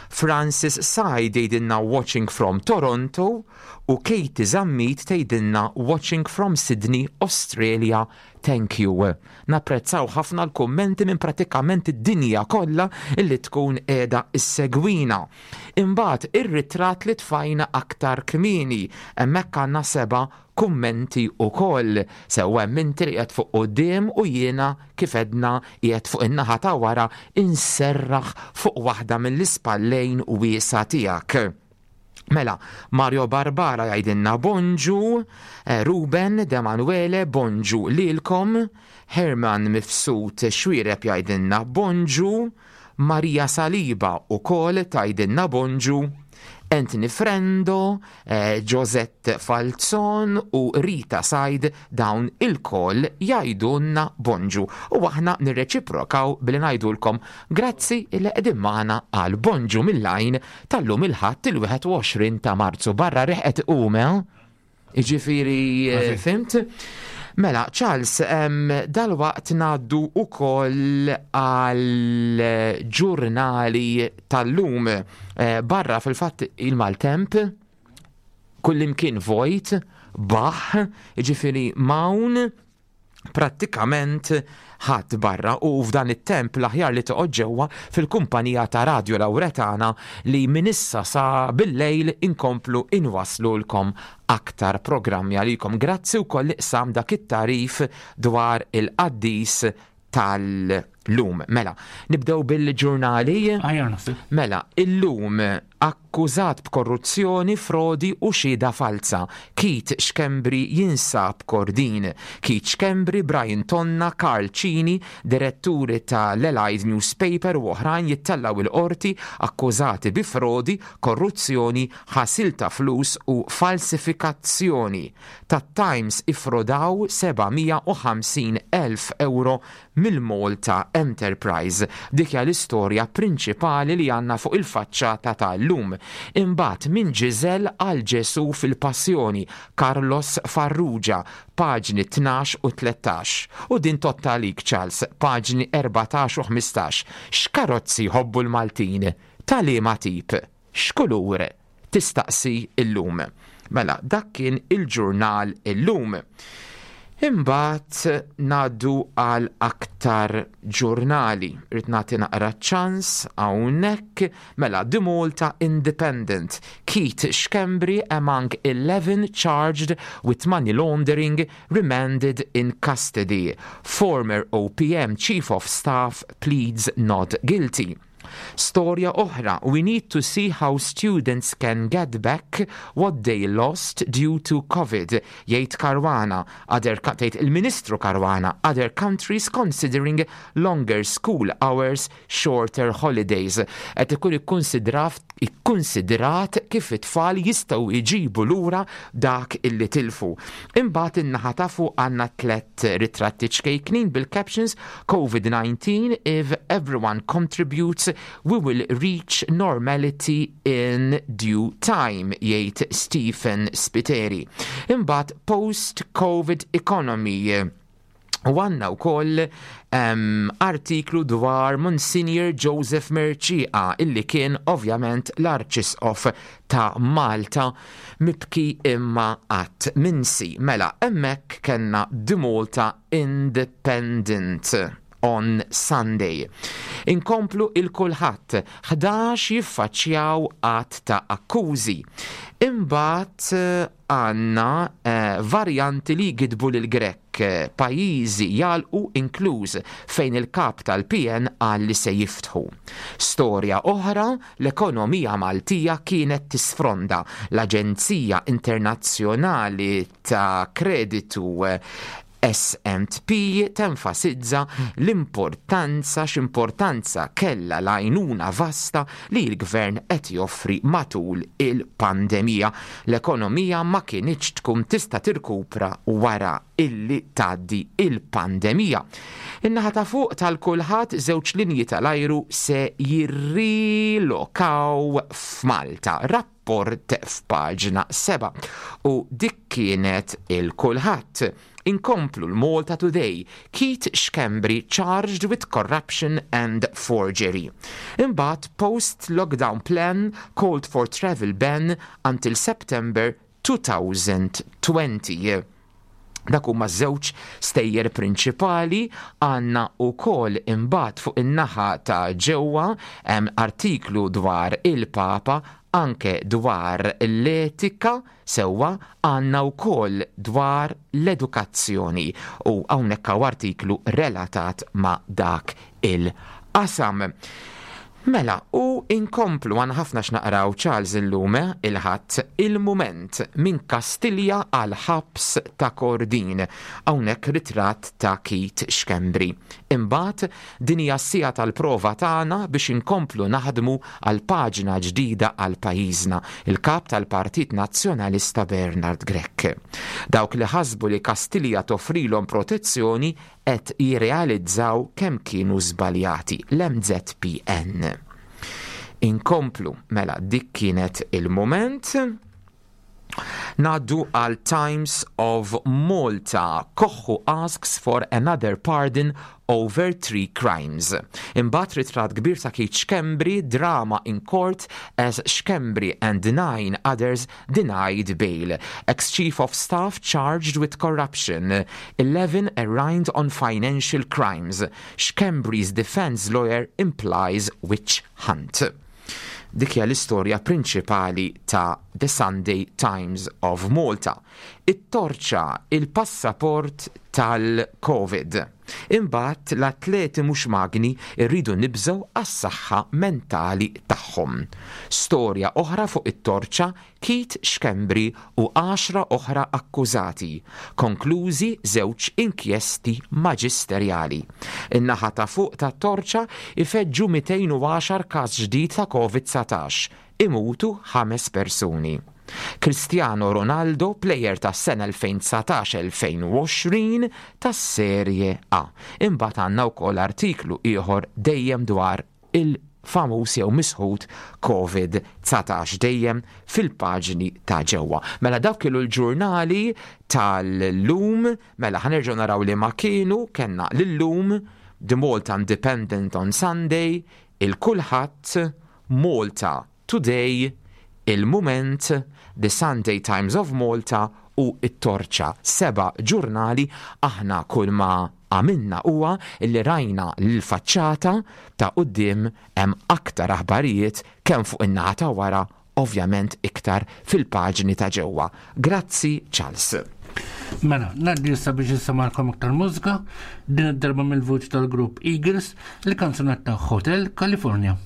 G: Francis Said jgħidilna, "Watching from Toronto", u Katie Zammit tgħidilna, "Watching from Sydney, Australia. Thank you." Napprezzaw ħafna l-kummenti minn pratikament id-dinja kollha illi tkun qiegħda issegwina. Imbagħad ir-ritratt li tfajna aktar kmieni, hemmhekk għandna seba' kummenti ukoll. Sewwa hemm inti li qiegħed fuq quddiem u jiena, kif edna, qiegħed fuq in-naħa ta' wara inserraħ fuq waħda mill-ispallejn wiesa tiegħek. Mela, Mario Barbara jgħidilna bonġu, eh, Ruben De Manuele, bonġu lilkom, Herman Mifsud Xwireb jgħidilna bonġu, Maria Saliba ukoll tgħidilna bonġu, Anthony Frendo, eh, Josette Falzon u Rita Said, dawn il-koll jgħidulna bonġu. U aħna nirreċiprokaw billi ngħidulkom grazzi illi qegħdin magħna għal bonġu mill-għajn tal-lum il-Ħadd il-wieħed u għoxrin ta' Marzu. Barra riħet ume, iġifiri, eh, fhimt? Mela, Charles, em, dal-waqt ngħaddu ukoll għal ġurnali tal-lum. Eh, barra fil-fatt il-maltemp, kullimkien vojt, baħ, ġifiri mawn, prattikament ħadd barra, u f'dan it-temp l-aħjar li toqgħod ġewwa fil-kumpanija ta' Radio Lauretana, li minn issa sa bil-lejl inkomplu inwaslulkom aktar programmi għalikom. Grazzi wkoll li qsam dak it-tarif dwar il-qaddis tal-lum. Mela, nibdew bil-ġurnali. Mela, illum akkużat b'korruzzjoni, frodi u xhieda falsa. Keith Schembri jinsab Kordin. Keith Schembri, Brian Tonna, Karl Cini, diretturi ta' l-Allied Newspaper u oħrajn jittallaw il-qorti akkużati bi frodi, korruzzjoni, ħasil ta' flus u falsifikazzjoni. Tat-Times, ifrodaw seba' mija u ħamsin elf euro mill-Malta Enterprise. Dik hija l-istorja prinċipali li għandna fuq il-faċċata tal-lum. Imbagħad minn Ġiżel għal Ġesu fil-Passjoni, Carlos Farrugia, paġni tnax u tlettax. U din tottalik, Charles, paġni erbatax u ħmistax. X'karozzi jħobbu l-Maltin? Ta' liema tip? X'kulur? Tistaqsi Illum. Mela, dak kien il-ġurnal Illum. Imbagħad ngħaddu għal aktar ġurnali. Rrid nagħti naqra ċans hawnhekk. Mela, The Malta Independent. Keith Schembri among eleven charged with money laundering remanded in custody. Former O P M Chief of Staff pleads not guilty. Storja oħra, we need to see how students can get back what they lost due to COVID, jgħid Caruana, other, tgħid il-Ministru Caruana, other countries considering longer school hours, shorter holidays. Qed ikun ikkonsidrat kif it-tfal jistgħu jġibu lura dak illi tilfu. Imbagħad in-naħa ta' fuq għandna tlet ritratti ċkejknin bil-captions: COVID nineteen, if everyone contributes, we will reach normality in due time, jgħid Stephen Spiteri. Imbagħad post-COVID economy. U għandna wkoll um, artiklu dwar Monsignor Joseph Mercieca, illi kien ovvjament l-Arċisqof ta' Malta, mibki imma qatt minsi. Mela, hemmhekk kellna The Malta Independent on Sunday. Inkomplu Il-Kullħadd, ħdax jiffaċċjaw għadd ta' akkużi. Imbagħad eh, għandna eh, varjanti li gidbu lil Grech, eh, pajjiżi jagħlqu, inkluż fejn il-kap tal-P N qal li se jiftħu. Storja oħra, l-ekonomija Maltija kienet tisfronda. L-Aġenzija Internazzjonali ta' Kreditu eh, S and P tenfasizza l-importanza x'importanza kella l-għajnuna vasta li l-gvern qed joffri matul il-pandemija. L-ekonomija ma kinitx tkun tista' tirkupra wara illi tgħaddi il-pandemija. In-naħa ta' fuq tal-Kullħadd, żewġ linji tal-ajru se jirrilokaw f'Malta. Rapport f'paġna seba'. U dik kienet Il-Kullħadd. Inkomplu l-Malta Today. Keith Schembri charged with corruption and forgery. Imbagħad post-lockdown plan called for travel ban until September twenty twenty. Dak huma żewġ stejjer prinċipali. Għandna wkoll imbagħad fuq in-naħa ta' ġewwa hemm artiklu dwar il-Papa, anke dwar l-etika, sewwa għandna wkoll dwar l-edukazzjoni u hawnhekk hawn artiklu relatat ma' dak il-qasam. Mela, u inkomplu, għandna ħafna x'naqraw, Charles, illum il-Ħadd. Il-Mument, minn Kastilja għal ħabs ta' Kordin. Hawnhekk ritratt ta' Keith Schembri. Imbagħad din hija s-siegħa tal-prova tagħna biex inkomplu naħdmu għal paġna ġdida għal pajjiżna. Il-kap tal-Partit Nazzjonalista Bernard Grech. Dawk li ħasbu li Kastilja toffrilhom protezzjoni qed jirrealizzaw kemm kienu żbaljati, l-M Z P N. Inkomplu, mela dik kienet Il-Mument. Ngħaddu għal Times of Malta. Koħħu asks for another pardon over three crimes. Imbagħad ritratt kbir ta' Keith Schembri, drama in court as Schembri and nine others denied bail. Ex-chief of staff charged with corruption. eleven arraigned on financial crimes. Schembri's defense lawyer implies witch hunt. Dik hija l-istorja prinċipali ta' The Sunday Times of Malta. It-Torċa, il-passaport tal-Covid. Imbagħad l-atleti mhux magni, irridu nibżgħu għas-saħħa mentali tagħhom. Storja oħra fuq It-Torċa, Keith Schembri u għaxra oħra akkużati. Konklużi żewġ inkjesti maġisterjali. In-naħa ta' fuq ta' Torċa, ifeġġu mitejn u għaxar każ ġdid ta' COVID dsatax. Imutu ħames persuni. Cristiano Ronaldo, plejer tas-sena elfejn u dsatax-elfejn u għoxrin tas-Serie A. Imbagħad għandna wkoll artiklu ieħor dejjem dwar il-famuż jew misħut Covid dsatax dejjem fil-paġni ta' ġewwa. Mela dawk kienu l-ġurnali tal-lum, mela ħa nerġgħu naraw li ma kienu kellna l-Illum, The Malta Independent on Sunday, il-Kulħadd, Malta Today, Il-Mument, The Sunday Times of Malta u it-Torċa. Seba' ġurnali. Aħna kull ma għamilna huwa li rajna l-faċċata ta' quddiem. Hemm aktar aħbarijiet kemm fuq in-naħa ta' wara, ovvjament iktar fil-paġni ta' ġewwa. Grazzi, Charles.
H: Mela, ngħaddi issa biex insemmagħkom iktar mużika, din id-darba mill-vuċi tal-grupp Eagles, il-kanzunetta Hotel California.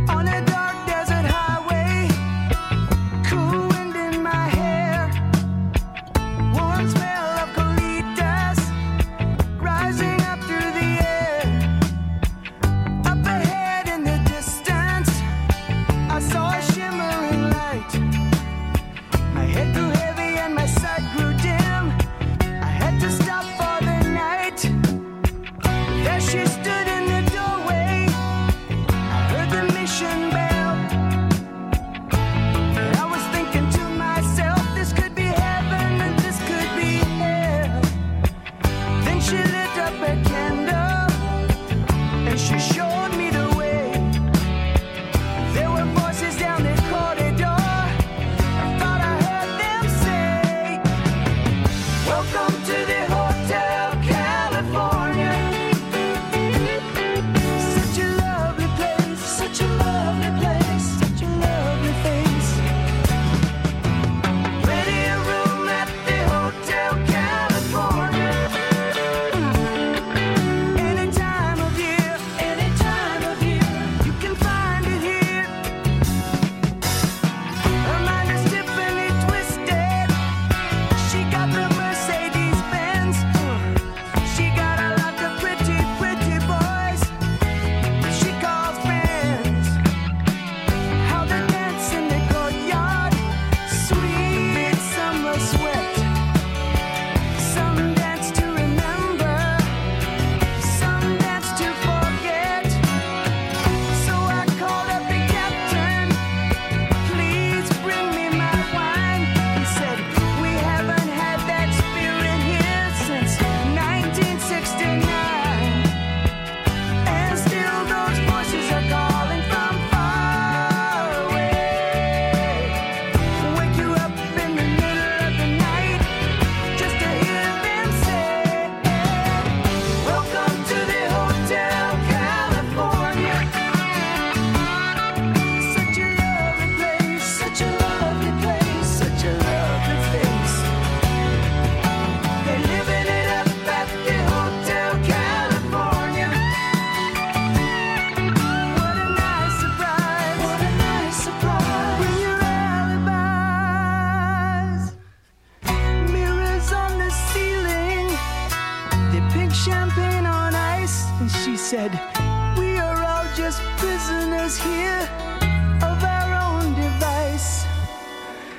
M: On a dark desert highway, cool wind in my hair, warm smell of colitas rising up through the air. Up ahead in the distance, I saw a shimmering light. My head grew heavy and my sight grew dim. I had to stop for the night. There she stood in the doorway. I heard the mission bell. And I was thinking to myself, this could be heaven and this could be hell. Then she lit up a candle and she showed me the way. There were voices down the corridor. I thought I heard them say, "Welcome to the Hotel California. Such a lovely place, such a lovely place, such a lovely face. Plenty of room at the Hotel California. Any time of year, any time of year, you can find it here. Her mind is Tiffany twisted. She got the Mercedes Benz. She got a lot of pretty, pretty boys she calls friends. How they dance in the courtyard, sweet summer sweat. Some dance to remember, some dance to forget. So I called up the captain. Please bring me my wine. He said, "We haven't had that spirit here since nineteen sixty-nine. And still those voices are calling from far away. Wake you up in the middle of the night just to hear them say, 'Welcome to the Hotel California.' Such a lovely place, such a lovely place, such a lovely face. They're living it up at the Hotel California. What a nice surprise! What a nice surprise! Bring your alibis. Mirrors on the ceiling, the pink champagne on ice." And she said, "We are all just prisoners here of our own device."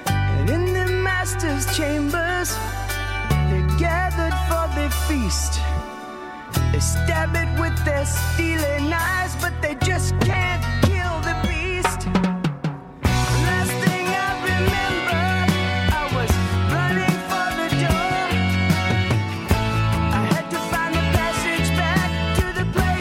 M: And in the master's chambers, they gathered for the feast. They stab it with their steely knives, but they just can't kill the beast. Last thing I remember, I was running for the door. I had to find the passage back to the place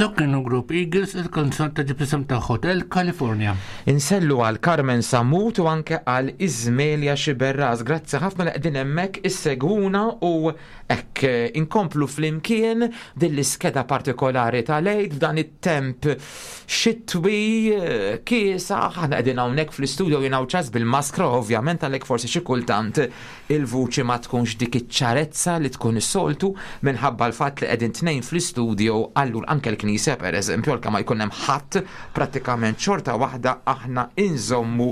H: Dak kienu grupp Eagles, il-kanzunetta ġib isem ta' Hotel California.
G: Insellu għal Carmen Samut u anke għal Izmelia Xiberras. Grazzi ħafna li qegħdin hemmhekk issegwuna u hekk eh, inkomplu flimkien din l-iskeda partikolari tal-Għid f'dan it-temp xitwi eh, kiesa. Aħna qegħdin hawnhekk fl-istudio jiena u Charles bil-maskra, ovvjament, għalhekk forsi xi kultant il-vuċi ma tkunx dik iċ-ċarezza li tkun is-soltu minħabba l-fatt li qegħdin tnejn fl-istudio. Allura anke l-knisja, pereżempju, għalkemm ma jkun hemm ħadd prattikament, xorta waħda aħna inżommu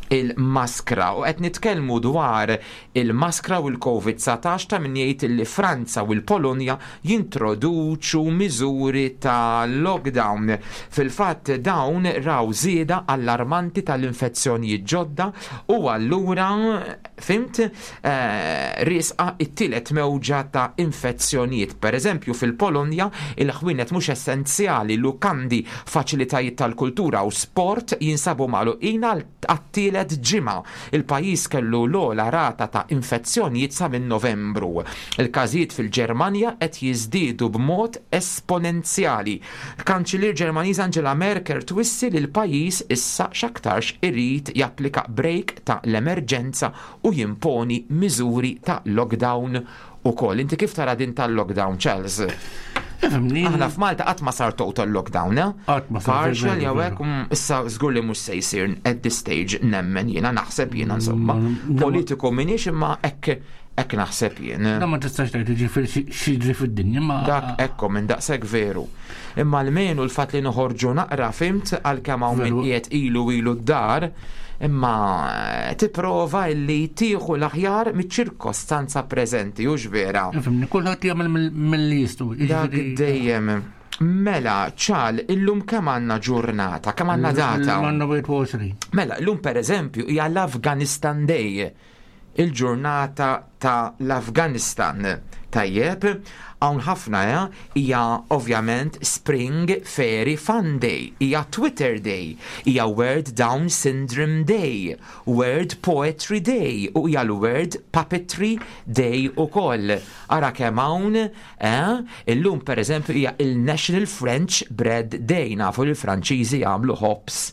G: il-maskra. U qed nitkellmu dwar il-maskra u l-Covid dsatax, ta' min jgħid li Franza u l-Polonja jintroduċu miżuri ta' lockdown. Fil-fatt dawn raw żieda allarmanti tal-infezzjonijiet ġodda u allura, fhimt, eh, riesqa it-tielet mewġa ta' infezzjonijiet. Per eżempju, fil-Polonja il-ħwienet mhux essenzjali, lukandi, faċilitajiet tal-kultura u sport jinsabu magħluqin għat-tielet ġimgħa. Il-pajjiż kellu l-ogħla rata ta' infezzjonijiet sa minn Novembru. Il-każijiet fil-Ġermanja qed jiżdiedu b'mod esponenzjali. Kanċillier Ġermaniż Angela Merkel twissi li l-pajjiż issa x'aktarx irid japplika break ta' l-emerġenza u jimponi miżuri ta' lockdown ukoll. Inti kif tara din tal-lockdown, Charles?
H: Ifhimni.
G: Aħna f'Malta qatt ma sar total lockdown, eh?
H: Qatt ma sar.
G: Partial
H: veru,
G: jew
H: veru.
G: hekk, mm, issa żgur li mhux se jsir at this stage, nemmen jiena, naħseb jiena, insomma. Politiku minix, imma hekk hekk naħseb jien.
H: Da ma tistax tgħid, jiġifieri x'jiġri fid-dinja ma.
G: Dak ekko minn daqshekk veru. Imma almenu l-fatt li noħorġu naqra, fhimt, għalkemm hawn min
H: Veru.
G: qiegħed ilu ilu d-dar, imma tipprova illi tieħu l-aħjar miċ-ċirkostanza preżenti, hux vera?
H: Ifhimni, kulħadd jagħmel mill- milli jistgħu.
G: Dak
H: Jiġifieri-
G: dejjem. Mela, ċal, illum kemm għandna ġurnata, kemm għandna data?
H: Għandna wieħed u għoxrin.
G: Mela, illum per eżempju hija l-Afghanistan Day, il-ġurnata ta' l-Afghanistan. Tajjeb, hawn ħafna, eh, hija ovvjament Spring Fairy Fun Day, hija Twitter Day, hija World Down Syndrome Day, World Poetry Day u hija l-World Puppetry Day ukoll. Ara kemm hawn, eh, illum per eżempju hija il-National French Bread Day, nafu li l-Franċiżi jagħmlu ħobż.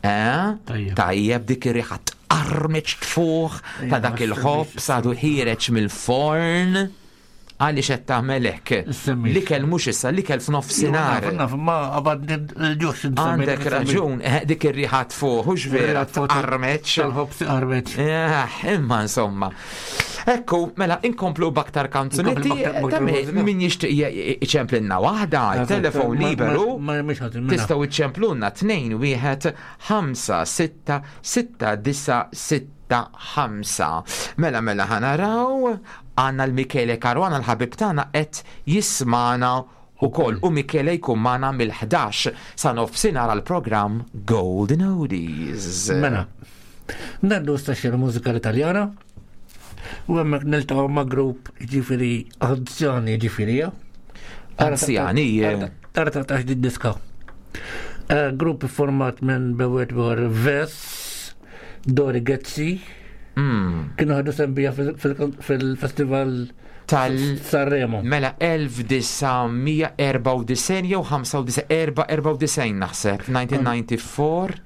G: Eh?
H: Tajjeb.
G: Tajjeb, dik ir-riħa tqarmeċ tfuħ ta' dak il-ħobż għadu ħiereġ mill-forn. Għaliex qed tagħmel hekk?
H: Semmix.
G: L-ikel mhux issa, l-ikel f'nofsinhar.
H: Naf, naf, ma qabad il-ġuħ.
G: Għandek raġun, eh, dik ir-riħa tfuħ, hux vera, tqarmeċ.
H: Tal-ħobż qarmeċ.
G: Eh, imma insomma. Ekku, mela, inkomplu b'aktar kanzunetti,
H: Inkomplu b'aktar- b'aktar
G: ta' min-
H: mużika.
G: min jixtieq iċemplinna waħda, telefon liberu.
H: Ma mhix ħadd mela.
G: Tistgħu iċċemplunna tnejn wieħed ħamsa sitta sitta disa' sitta ħamsa. Mela, mela, ħa naraw, għandna l-Michele Caruana, l-ħabib tagħna, qed jismana ukoll, u Michele jkun magħna mill-ħdax sa nofsinhar għall-programm Golden Oldies.
H: Mela. Ngħaddu staxxira mużika Italjana. U hemmhekk niltaqgħu ma' grupp, ġifieri anzjani, ġifieri. Ja.
G: Anzjani, eh.
H: Tara ta' di diska. Eh, Grupp format minn bewet war Ves, Dori Gezzi,
G: Mm.
H: kienu ħadu sembija fil-festival
G: Tal
H: Sanremo.
G: Mela elf disa' mija erbgħa u disgħin jew ħamsa u disgħin, erbgħa u disgħin naħseb, elf disa' mija disgħa u disgħin.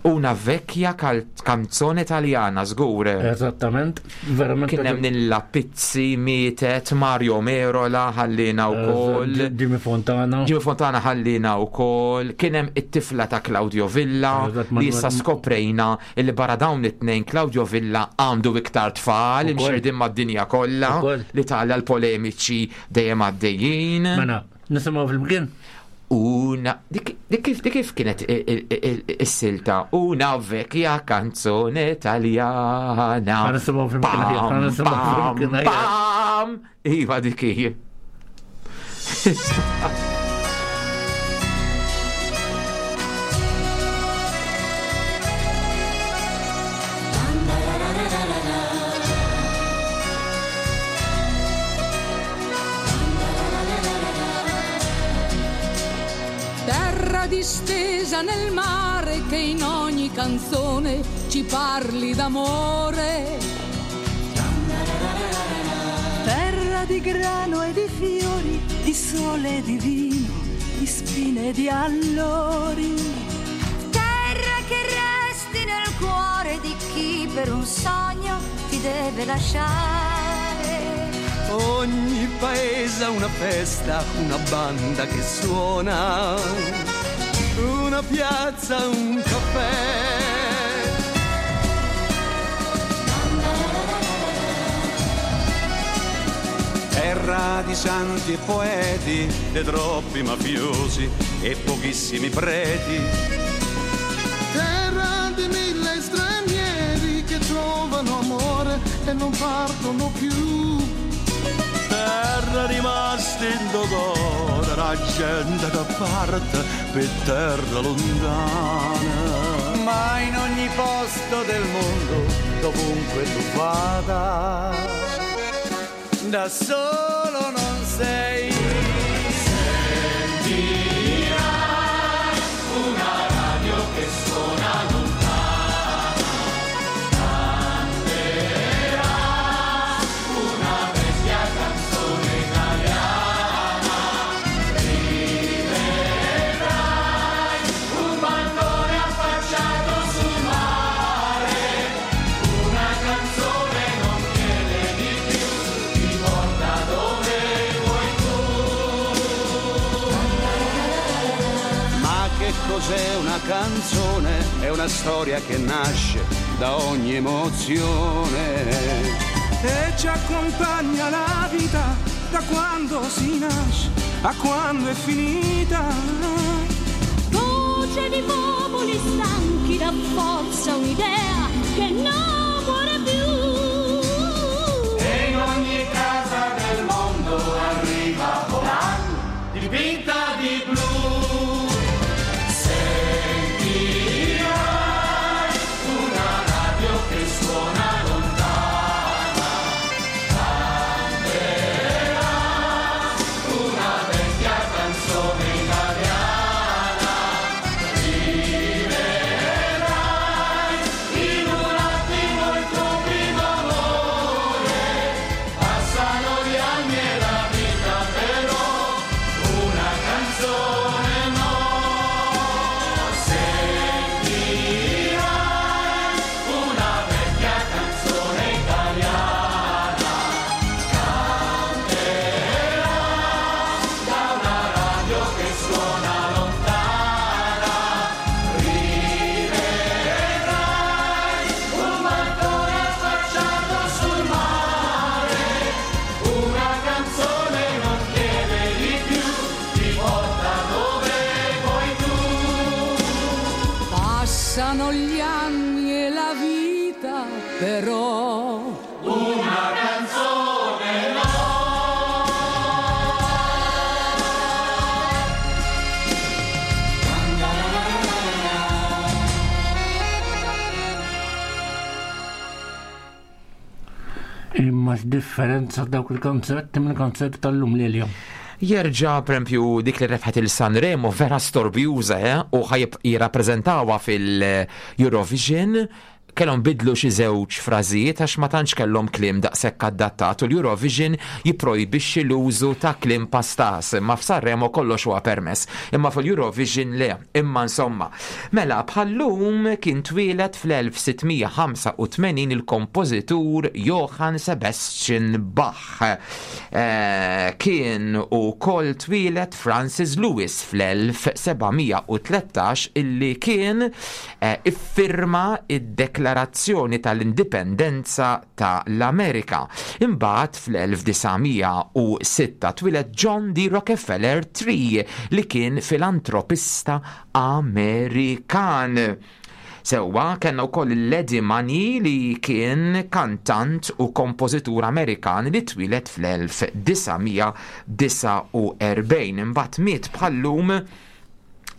G: Una vecchia cal- canzone italiana, żgur.
H: Eżattament, verament.
G: Kien hemm Nilla Pizzi mietet, Mario Merola ħallina wkoll.
H: Jimmy Fontana.
G: Jimmy Fontana ħallina wkoll, kien hemm it-tifla ta' Claudio Villa
H: Eżatt,
G: li issa
H: Manuel-
G: skoprejna li barra dawn it-tnejn Claudio Villa għandu iktar tfal
H: Ukoll.
G: imxerdin mad-dinja kollha,
H: Ukoll.
G: l-Italja l-polemiċi dejjem għaddejjin.
H: Mela, nisimgħu fil-mkien.
G: Una, dik dik kif dik kif kienet i- i- i- is-silta? Una vecchia canzone italiana.
H: Ħa nisimgħu flimkien aħjar, ħa nisimgħu
G: Pam,
H: flimkien aħjar.
G: pam. Iva, dik hi.
E: Terra distesa nel mare che in ogni canzone ci parli d'amore.
M: Terra di grano e di fiori, di sole e di vino, di spine e di allori.
E: Terra che resti nel cuore di chi per un sogno ti deve lasciare.
I: Ogni paese ha una festa, una banda che suona, una piazza, un caffè.
N: Terra di santi e poeti, di troppi mafiosi e pochissimi preti.
L: Terra di mille stranieri che trovano amore e non partono più.
N: Terra rimasta in dolore, la gente che parte per terra lontana.
I: Ma in ogni posto del mondo, dovunque tu vada, da solo non sei.
B: Sentirai una radio che suona lontana, canterà una vecchia canzone italiana, rivedrai un balcone affacciato sul mare, una canzone non chiede di più, ti porta dove vuoi tu.
N: Ma che cos'è una canzone? È una storia che nasce da ogni emozione.
B: E ci accompagna la vita da quando si nasce a quando è finita.
O: Voce di popoli stanchi dà forza un'idea che non muore più.
B: E in ogni casa del mondo arriva volando, dipinta di blu. Sentirai una radio che suona lontana, canterà una vecchia canzone italiana, rivedrai in un attimo il tuo primo amore, passano gli anni e la vita però una canzone no. Sentirai una vecchia canzone italiana, canterà da una radio che suona lontana, rivedrai un balcone affacciato sul mare, una canzone non chiede di più, ti porta dove vuoi tu.
M: Passano gli anni e la vita però
B: Una canzone no.
H: Imma x'differenza dawk il-kanzunetti minn kanzunetti tal-lum Lilja.
G: Jerġa, per esempio, dik li rebħet il-Sanremo vera storbjuża, eh? U ħajib jirrappreżentawha fil-Eurovision. Kellhom bidlu xi żewġ frażijiet għax ma tantx kellhom kliem daqshekk adattat u l-Eurovision jipprojbixxi l-użu ta' kliem pastas, imma f'Sanremo kollox huwa permess. Imma fil-Eurovision le, imma insomma. Mela bħallum kien twieled fl-elf sitt mija ħamsa u tmenin il-kompożitur Johann Sebastian Bach. Eh, kien ukoll twieled Francis Lewis fl-elf seba' mija u tlettax illi kien eh, iffirma id-Deklarazzjoni tal-Indipendenza ta' l-Amerika. Imbagħad fl-elf disa' mija u sitta twieled John D. Rockefeller the Third li kien filantropista Amerikan. Sewwa, kellna wkoll l-Eddie Money li kien kantant u kompożitur Amerikan li twieled fl-elf disa' mija disgħa u erbgħin. Imbagħad miet bħallum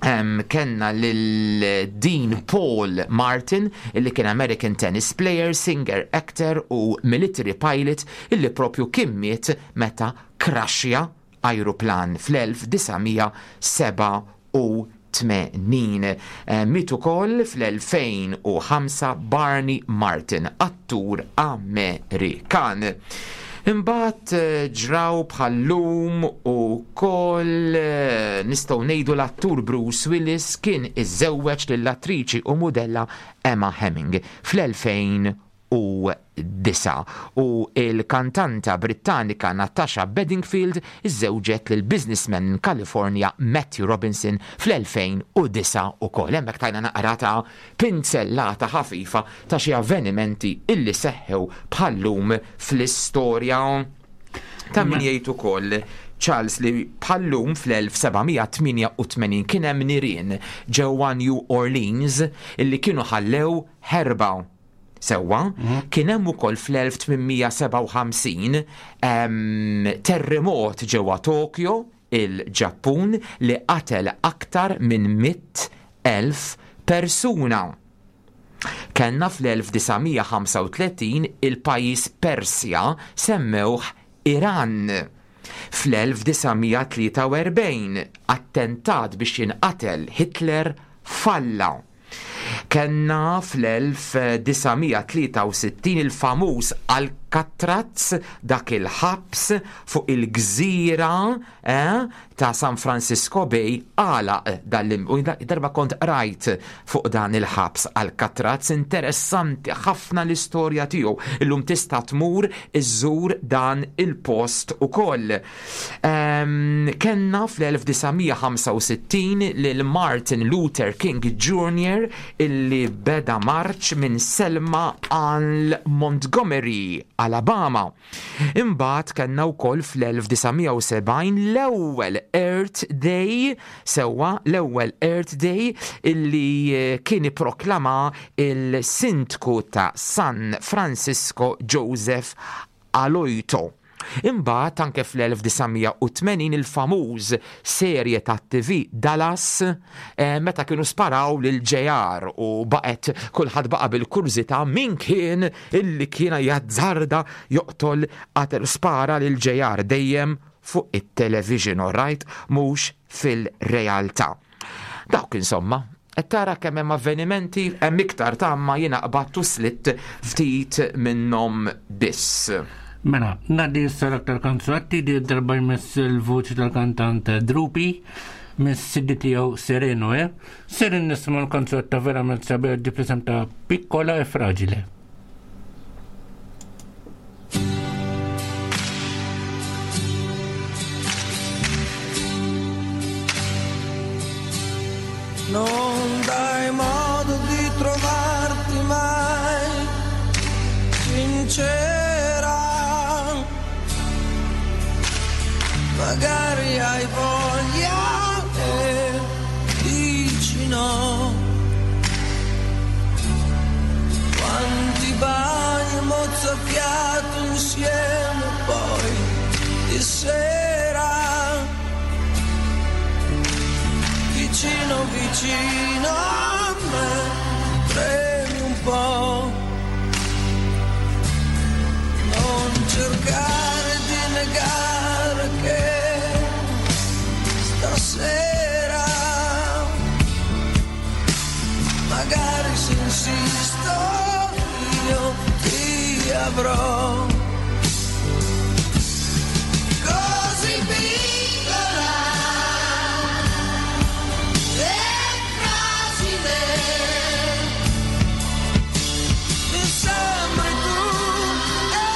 G: Um, kellna lil Dean Paul Martin illi kien American tennis player, singer, actor u military pilot illi propju kien miet meta kraxja ajruplan fl-elf disa' mija sebgħa u tmenin. Eh, Miet ukoll fl-elfejn u ħamsa Barney Martin, attur Amerikan. Imbagħad eh, ġraw bħal-lum ukoll eh, nistgħu ngħidu l-attur Bruce Willis kien iżżewweġ lill-attriċi u mudella Emma Hemming fl-elfejn u disa' u il-kantanta Brittanika Natasha Bedingfield iżżewġet lil businessman minn California Matthew Robinson fl-elfejn u disa' ukoll. Hemmhekk tajna naqra ta' pinzellata ħafifa ta' xi avvenimenti illi seħħew bħal-lum fl-istorja. Ta' min jgħid ukoll Charles li bħal-lum fl-elf sebgħamija tmienja u tmenin kien hemm nirien ġewwa New Orleans illi kienu ħallew ħerba. Sewwa, kien hemm ukoll fl-elf tmienmija sebgħa u ħamsin, ehm, terremot ġewwa Tokyo, il-Ġappun, li qatel aktar minn mitt elf persuna. Kellna fl-elf disa' mija ħamsa u tletin il-pajjiż Persja semmewh Iran. Fl-elf disa' mija tlieta u erbgħin attentat biex jinqatel Hitler falla. Kellna fl-elf disa' mija tlieta u sittin il-famuż Alcatraz, dak il-ħabs fuq il-gżira, eh, ta' San Francisco Bay, għalaq dal-lim. U darba kont rajt fuq dan il-ħabs Alcatraz, interessanti ħafna l-istorja tiegħu. Illum tista' tmur iżżur dan il-post ukoll. Ehm, kellna fl-elf disa' mija ħamsa u sittin lil Martin Luther King Junior illi beda marċ minn Selma għal Montgomery, Alabama. Imbagħad kellna wkoll fl-elf disa' mija u sebgħin l-ewwel Earth Day, sewwa l-ewwel Earth Day illi, eh, kien ipproklama il-sindku ta' San Francisco Joseph Aloito. Imbagħad anke fl-elf disa' mija u tmenin il-famuż serje ta' T V Dallas, eh, meta kienu sparaw lil J R u baqgħet kulħadd baqa' bil-kurżità min kien illi kien jazzarda joqtol qatel spara lil J R dejjem fuq it-television, all right, mhux fil-realtà. Dawk insomma, qed tara kemm hemm avvenimenti, hemm iktar ta' ma jiena qbadtu slitt ftit minnhom biss.
H: Mela, ngħaddi issa l-aktar kanzunetti di darba jmiss il-vuċi tal-kantant Drupi mis-C D tiegħu Sereno, eh? Seren nisma' l-kanzunetta verament sabiħ di presenta Piccola e Fragile.
I: Non dai modo di trovarti mai sincera. Magari hai voglia e dici no. Quanti bagni mozzafiato insieme poi di sera, vicino vicino a me, tremi un po'. Non cercare di negare che stasera, magari se insisto io ti avrò. Così piccola e fragile, mi sembri tu e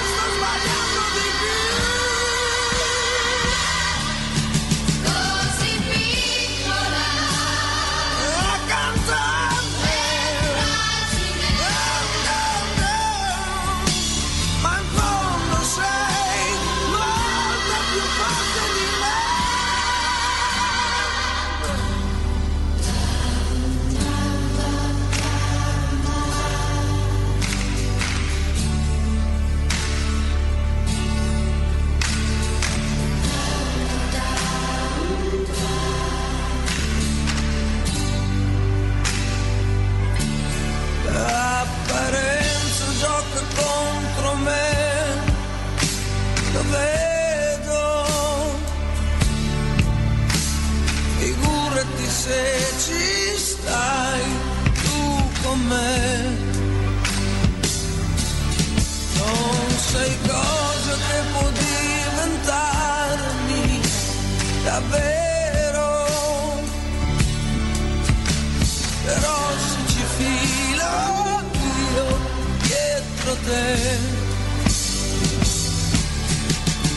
I: sto sbagliando di più.
O: Così piccola
I: accanto a me,
O: e fragile,
I: ma in fondo sei molto più forte di me. L'apparenza gioca contro me, lo vedo. Figurati se ci stai tu con me. Non sei cosa te.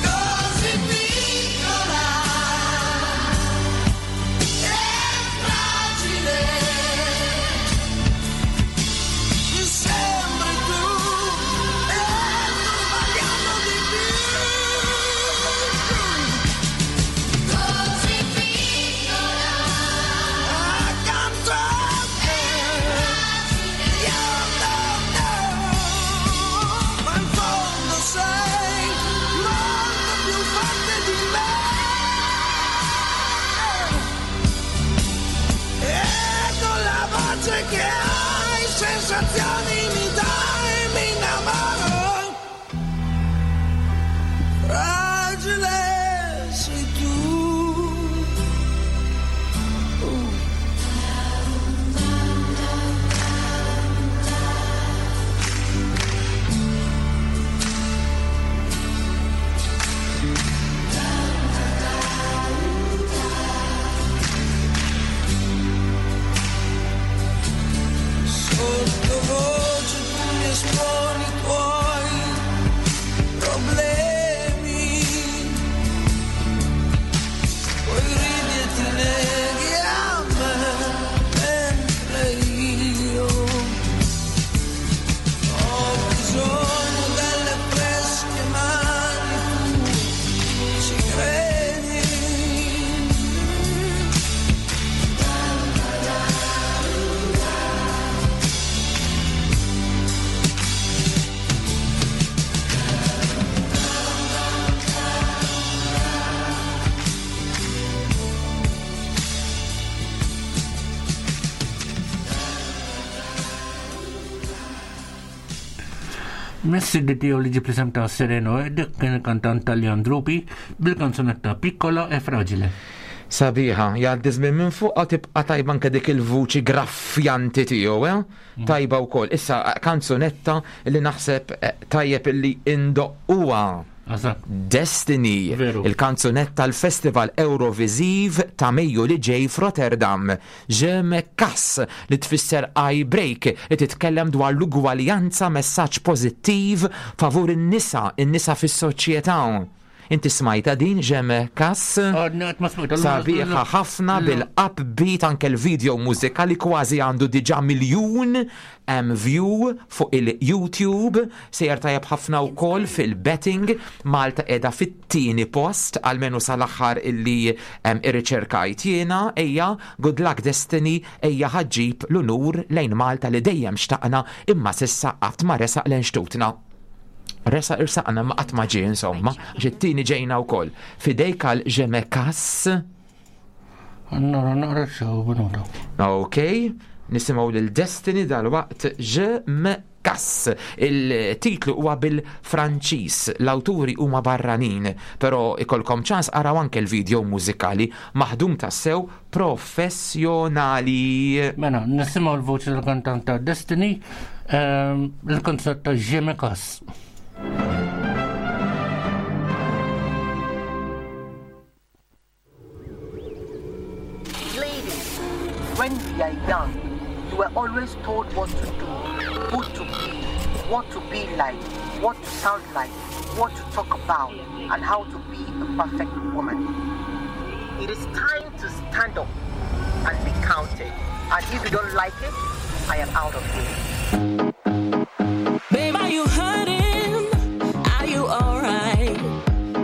I: Così piccola e fragile, mi sembri tu e sto sbagliando di più. Così piccola accanto a te, io no, no, ma in fondo sei molto più forte di me. E con la voce che hai, sensazioni mi dai, mi innamoro. Fragile sei tu. Sottovoce tu mi esponi i tuoi problemi, poi ridi e ti neghi a me, mentre io ho bisogno delle fresche mani, tu ci credi.
H: Messi di tiegħu li ġib l-isem ta' Sereno dik kien il-kantant Taljan Drupi bil-kanzunetta Piccola e Fragile.
G: Sabiħa, jgħaddi żmien minn fuq tibqa' tajba anke dik il-vuċi graffjanti tiegħu, eh? Tajba wkoll. Issa kanzunetta li naħseb eh, tajjeb illi indoqquha. Destiny, il-kanzunetta l-Festival Eurovisiv ta' Mejju li ġej f'Rotterdam. Je me casse li tfisser I break, li titkellem dwar l-ugwaljanza, messaġġ pożittiv favur in-nisa, in-nisa fis-soċjetà. Inti smajta din Je me casse? Sabiħa ħafna bil-upbeat, anke l-video mużikali kważi għandu diġà miljun em, view fuq il-YouTube, sejjer tajjeb ħafna wkoll fil-betting. Malta qiegħda fit-tieni post, almenu sal-aħħar illi em, irriċerkajt jiena. Ejja, good luck Destiny, ejja ħa ġġib l-unur lejn Malta li dejjem xtaqna imma s'issa qatt ma resaq lejn xtutna. Resa irsaqna ma qatt ma ġie, insomma, għax it-tieni ġejna wkoll. Fidejk għal Je me casse.
H: Nara naqra xew minuta.
G: Ok, nisimgħu lil Destiny dal-waqt Je me casse. Il-titlu huwa bil-Franċiż, l-awturi huma barranin, però ikolkom ċans araw anke l-video mużikali maħdum tassew professjonali.
H: Mela, nisimgħu l-voċi tal-kantant ta' Destiny, ehm, il-kanzunetta Je me casse.
P: Ladies, when we are young, you were always told what to do, who to be, what to be like, what to sound like, what to talk about, and how to be a perfect woman. It is time to stand up and be counted. And if you don't like it, I am out of here.
K: Babe, are you hurting? Are you alright?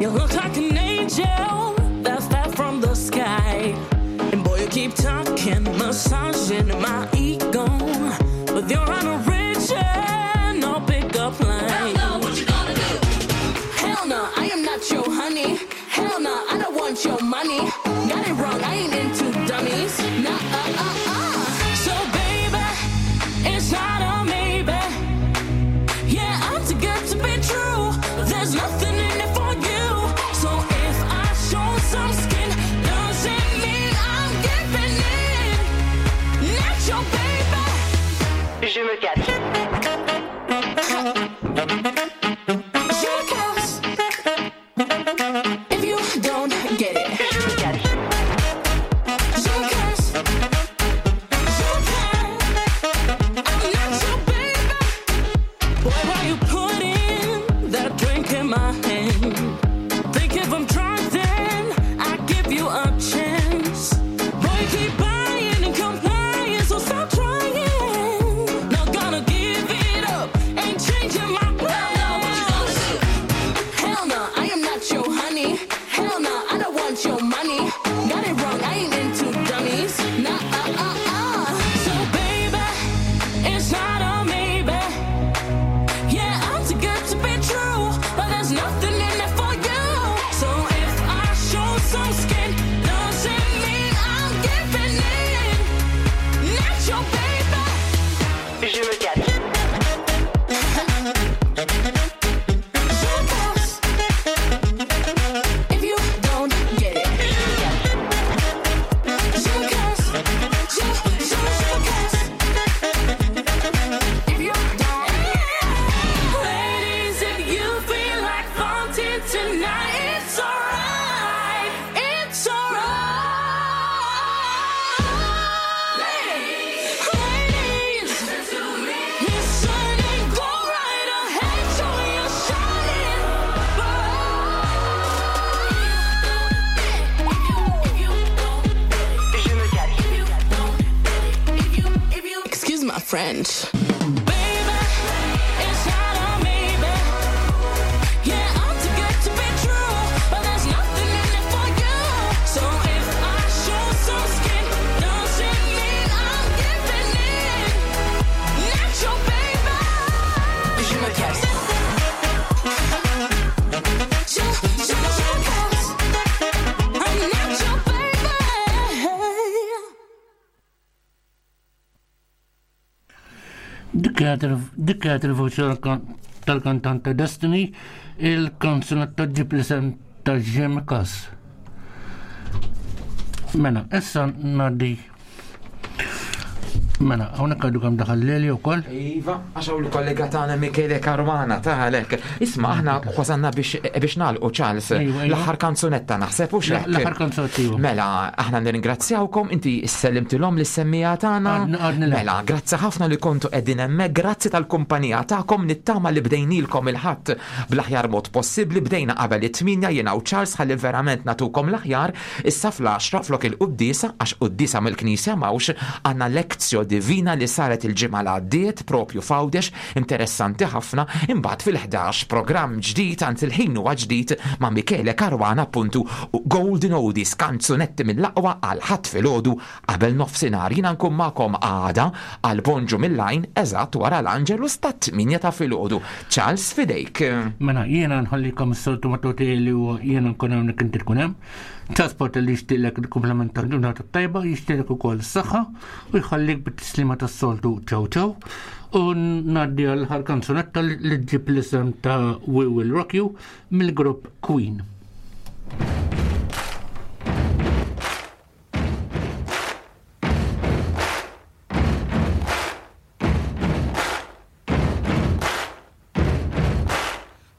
K: You look like an angel that fell from the sky. And boy, you keep talking, massaging my ego with your unoriginal pickup line. Hell no, what you gonna do? Hell no, I am not your honey. Hell no, I don't want your money. Got it wrong, I ain't into dummies. Nah, uh, uh, uh. So baby, it's not a maybe. Yeah, I'm too good to be true. There's nothing in it for you. So if I show some skin, doesn't mean I'm giving in. Not your baby.
P: Je me casse.
K: Je me casse. If you don't get it.
P: Je me casse.
K: Je me casse. Je me casse. I'm not your baby. Boy, why you put in my hand. Think if I'm drunk, then I give you a chance. Boy, you keep buying and complying, so stop trying. Not gonna give it up, ain't changing my plan. Hell no, what you gonna do? Hell no, I am not your honey. Hell no, I don't want your money. Got it wrong, I ain't into dummies. Nah, uh, uh, uh. So baby, it's not a maybe. Yeah, I'm too good to be true, but there's nothing in it for you. So if I show some skin, doesn't mean I'm giving in. Not your baby.
P: Je me casse.
K: Je casse. If you don't get it. Je casse. Je, je, je casse. If you don't. Ladies, if you feel like flaunting tonight, it's alright. It's alright. Ladies, listen and go right ahead, show your shining
P: Je me casse.
K: Excuse my French. Baby, it's not a maybe. Yeah, I'm too good to be true, but there's nothing in it for you. So if I show some skin, doesn't mean I'm giving in. Not your baby.
P: Je me casse.
K: Je, je, je casse. I'm not your baby.
H: Dik kienet il-voċi tal-kantante Destiny, il-kanzunetta ġib l-isem ta' Jim Cass. Mela, issa ngħaddi. Mela, hawnhekk għadu kemm daħal Leli wkoll.
G: Iva, għax hawn il-kollega tagħna Michele Caruana ta' għalek. Isma' aħna wasalna biex biex nagħlqu Charles.
H: Ejwa, ejwa.
G: L-aħħar kanzunetta naħseb u xek.
H: L-aħħar kanzunetta, iva.
G: Mela, aħna nirringrazzjawkom, inti sellimtilhom lis-semmija tagħna.
H: Għadni- għadni le.
G: Mela, grazzi ħafna li kontu qegħdin hemmhekk, grazzi tal-kumpanija tagħkom, nittama li bdejnilkom il-ħadd bl-aħjar mod possibbli, bdejna qabel it-tminja jiena u Charles ħalli verament natukom l-aħjar, issa fl-għaxra flok il-quddiesa għax quddiesa mill-Knisja m'hawnx għandna lectio divina li saret il-ġimgħa li għaddiet propju f'Għawdex, interessanti ħafna, imbagħad fil-ħdax programm ġdid, anzi il-ħin huwa ġdid ma' Michele Caruana appuntu u Golden Oldies, kanzunetti mill-aqwa għal ħadd filgħodu qabel nofsinhar. Jiena nkun magħkom għada għal Bonġu mill-Lajn eżatt wara l-Angelus tat-tminja ta' filgħodu. Charles fidejk.
H: Mela, jiena nħallikom s-soltu matuti li huwa jiena nkun hawnhekk inti tkun hemm. Transport li jixtieqlek il-kumplament tal-ġurnata tajba, jixtieqlek ukoll s-saħħa u jħallik bit-tislima tas-soltu ċaw ċaw. U ngħaddi għal ħar kanzunetta li ġib l-isem ta' We Will Rock You mill-grupp Queen.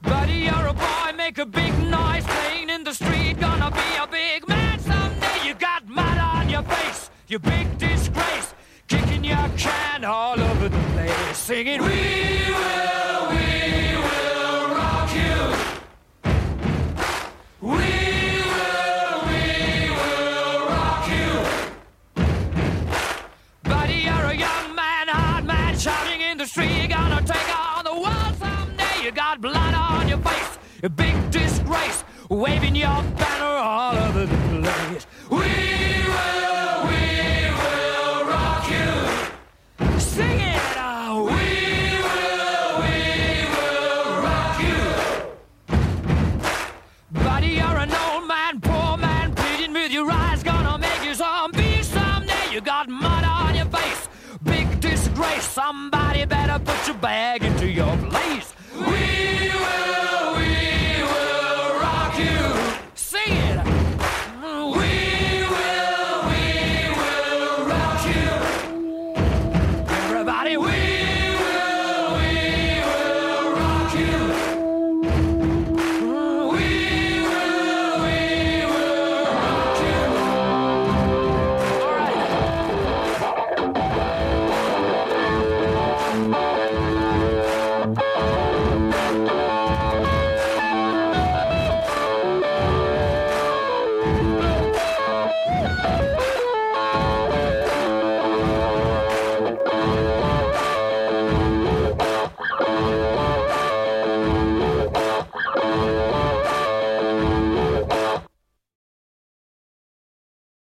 B: Buddy, you're a boy, make a big noise playing in the street. Gonna be a big man someday. You got mud on your face, you big disgrace. Kicking your can all over the place, singing, We will, we will rock you. We will, we will rock you. Buddy, you're a young man, hard man, shouting in the street. Gonna take on the world someday. You got blood on your face, a big disgrace, waving your banner all over the place. We will, we will rock you. Sing it out. We will, we will rock you. Buddy, you're an old man, poor man, pleading with your eyes, gonna make you zombie someday. You got mud on your face, big disgrace. Somebody better put your bag into your place.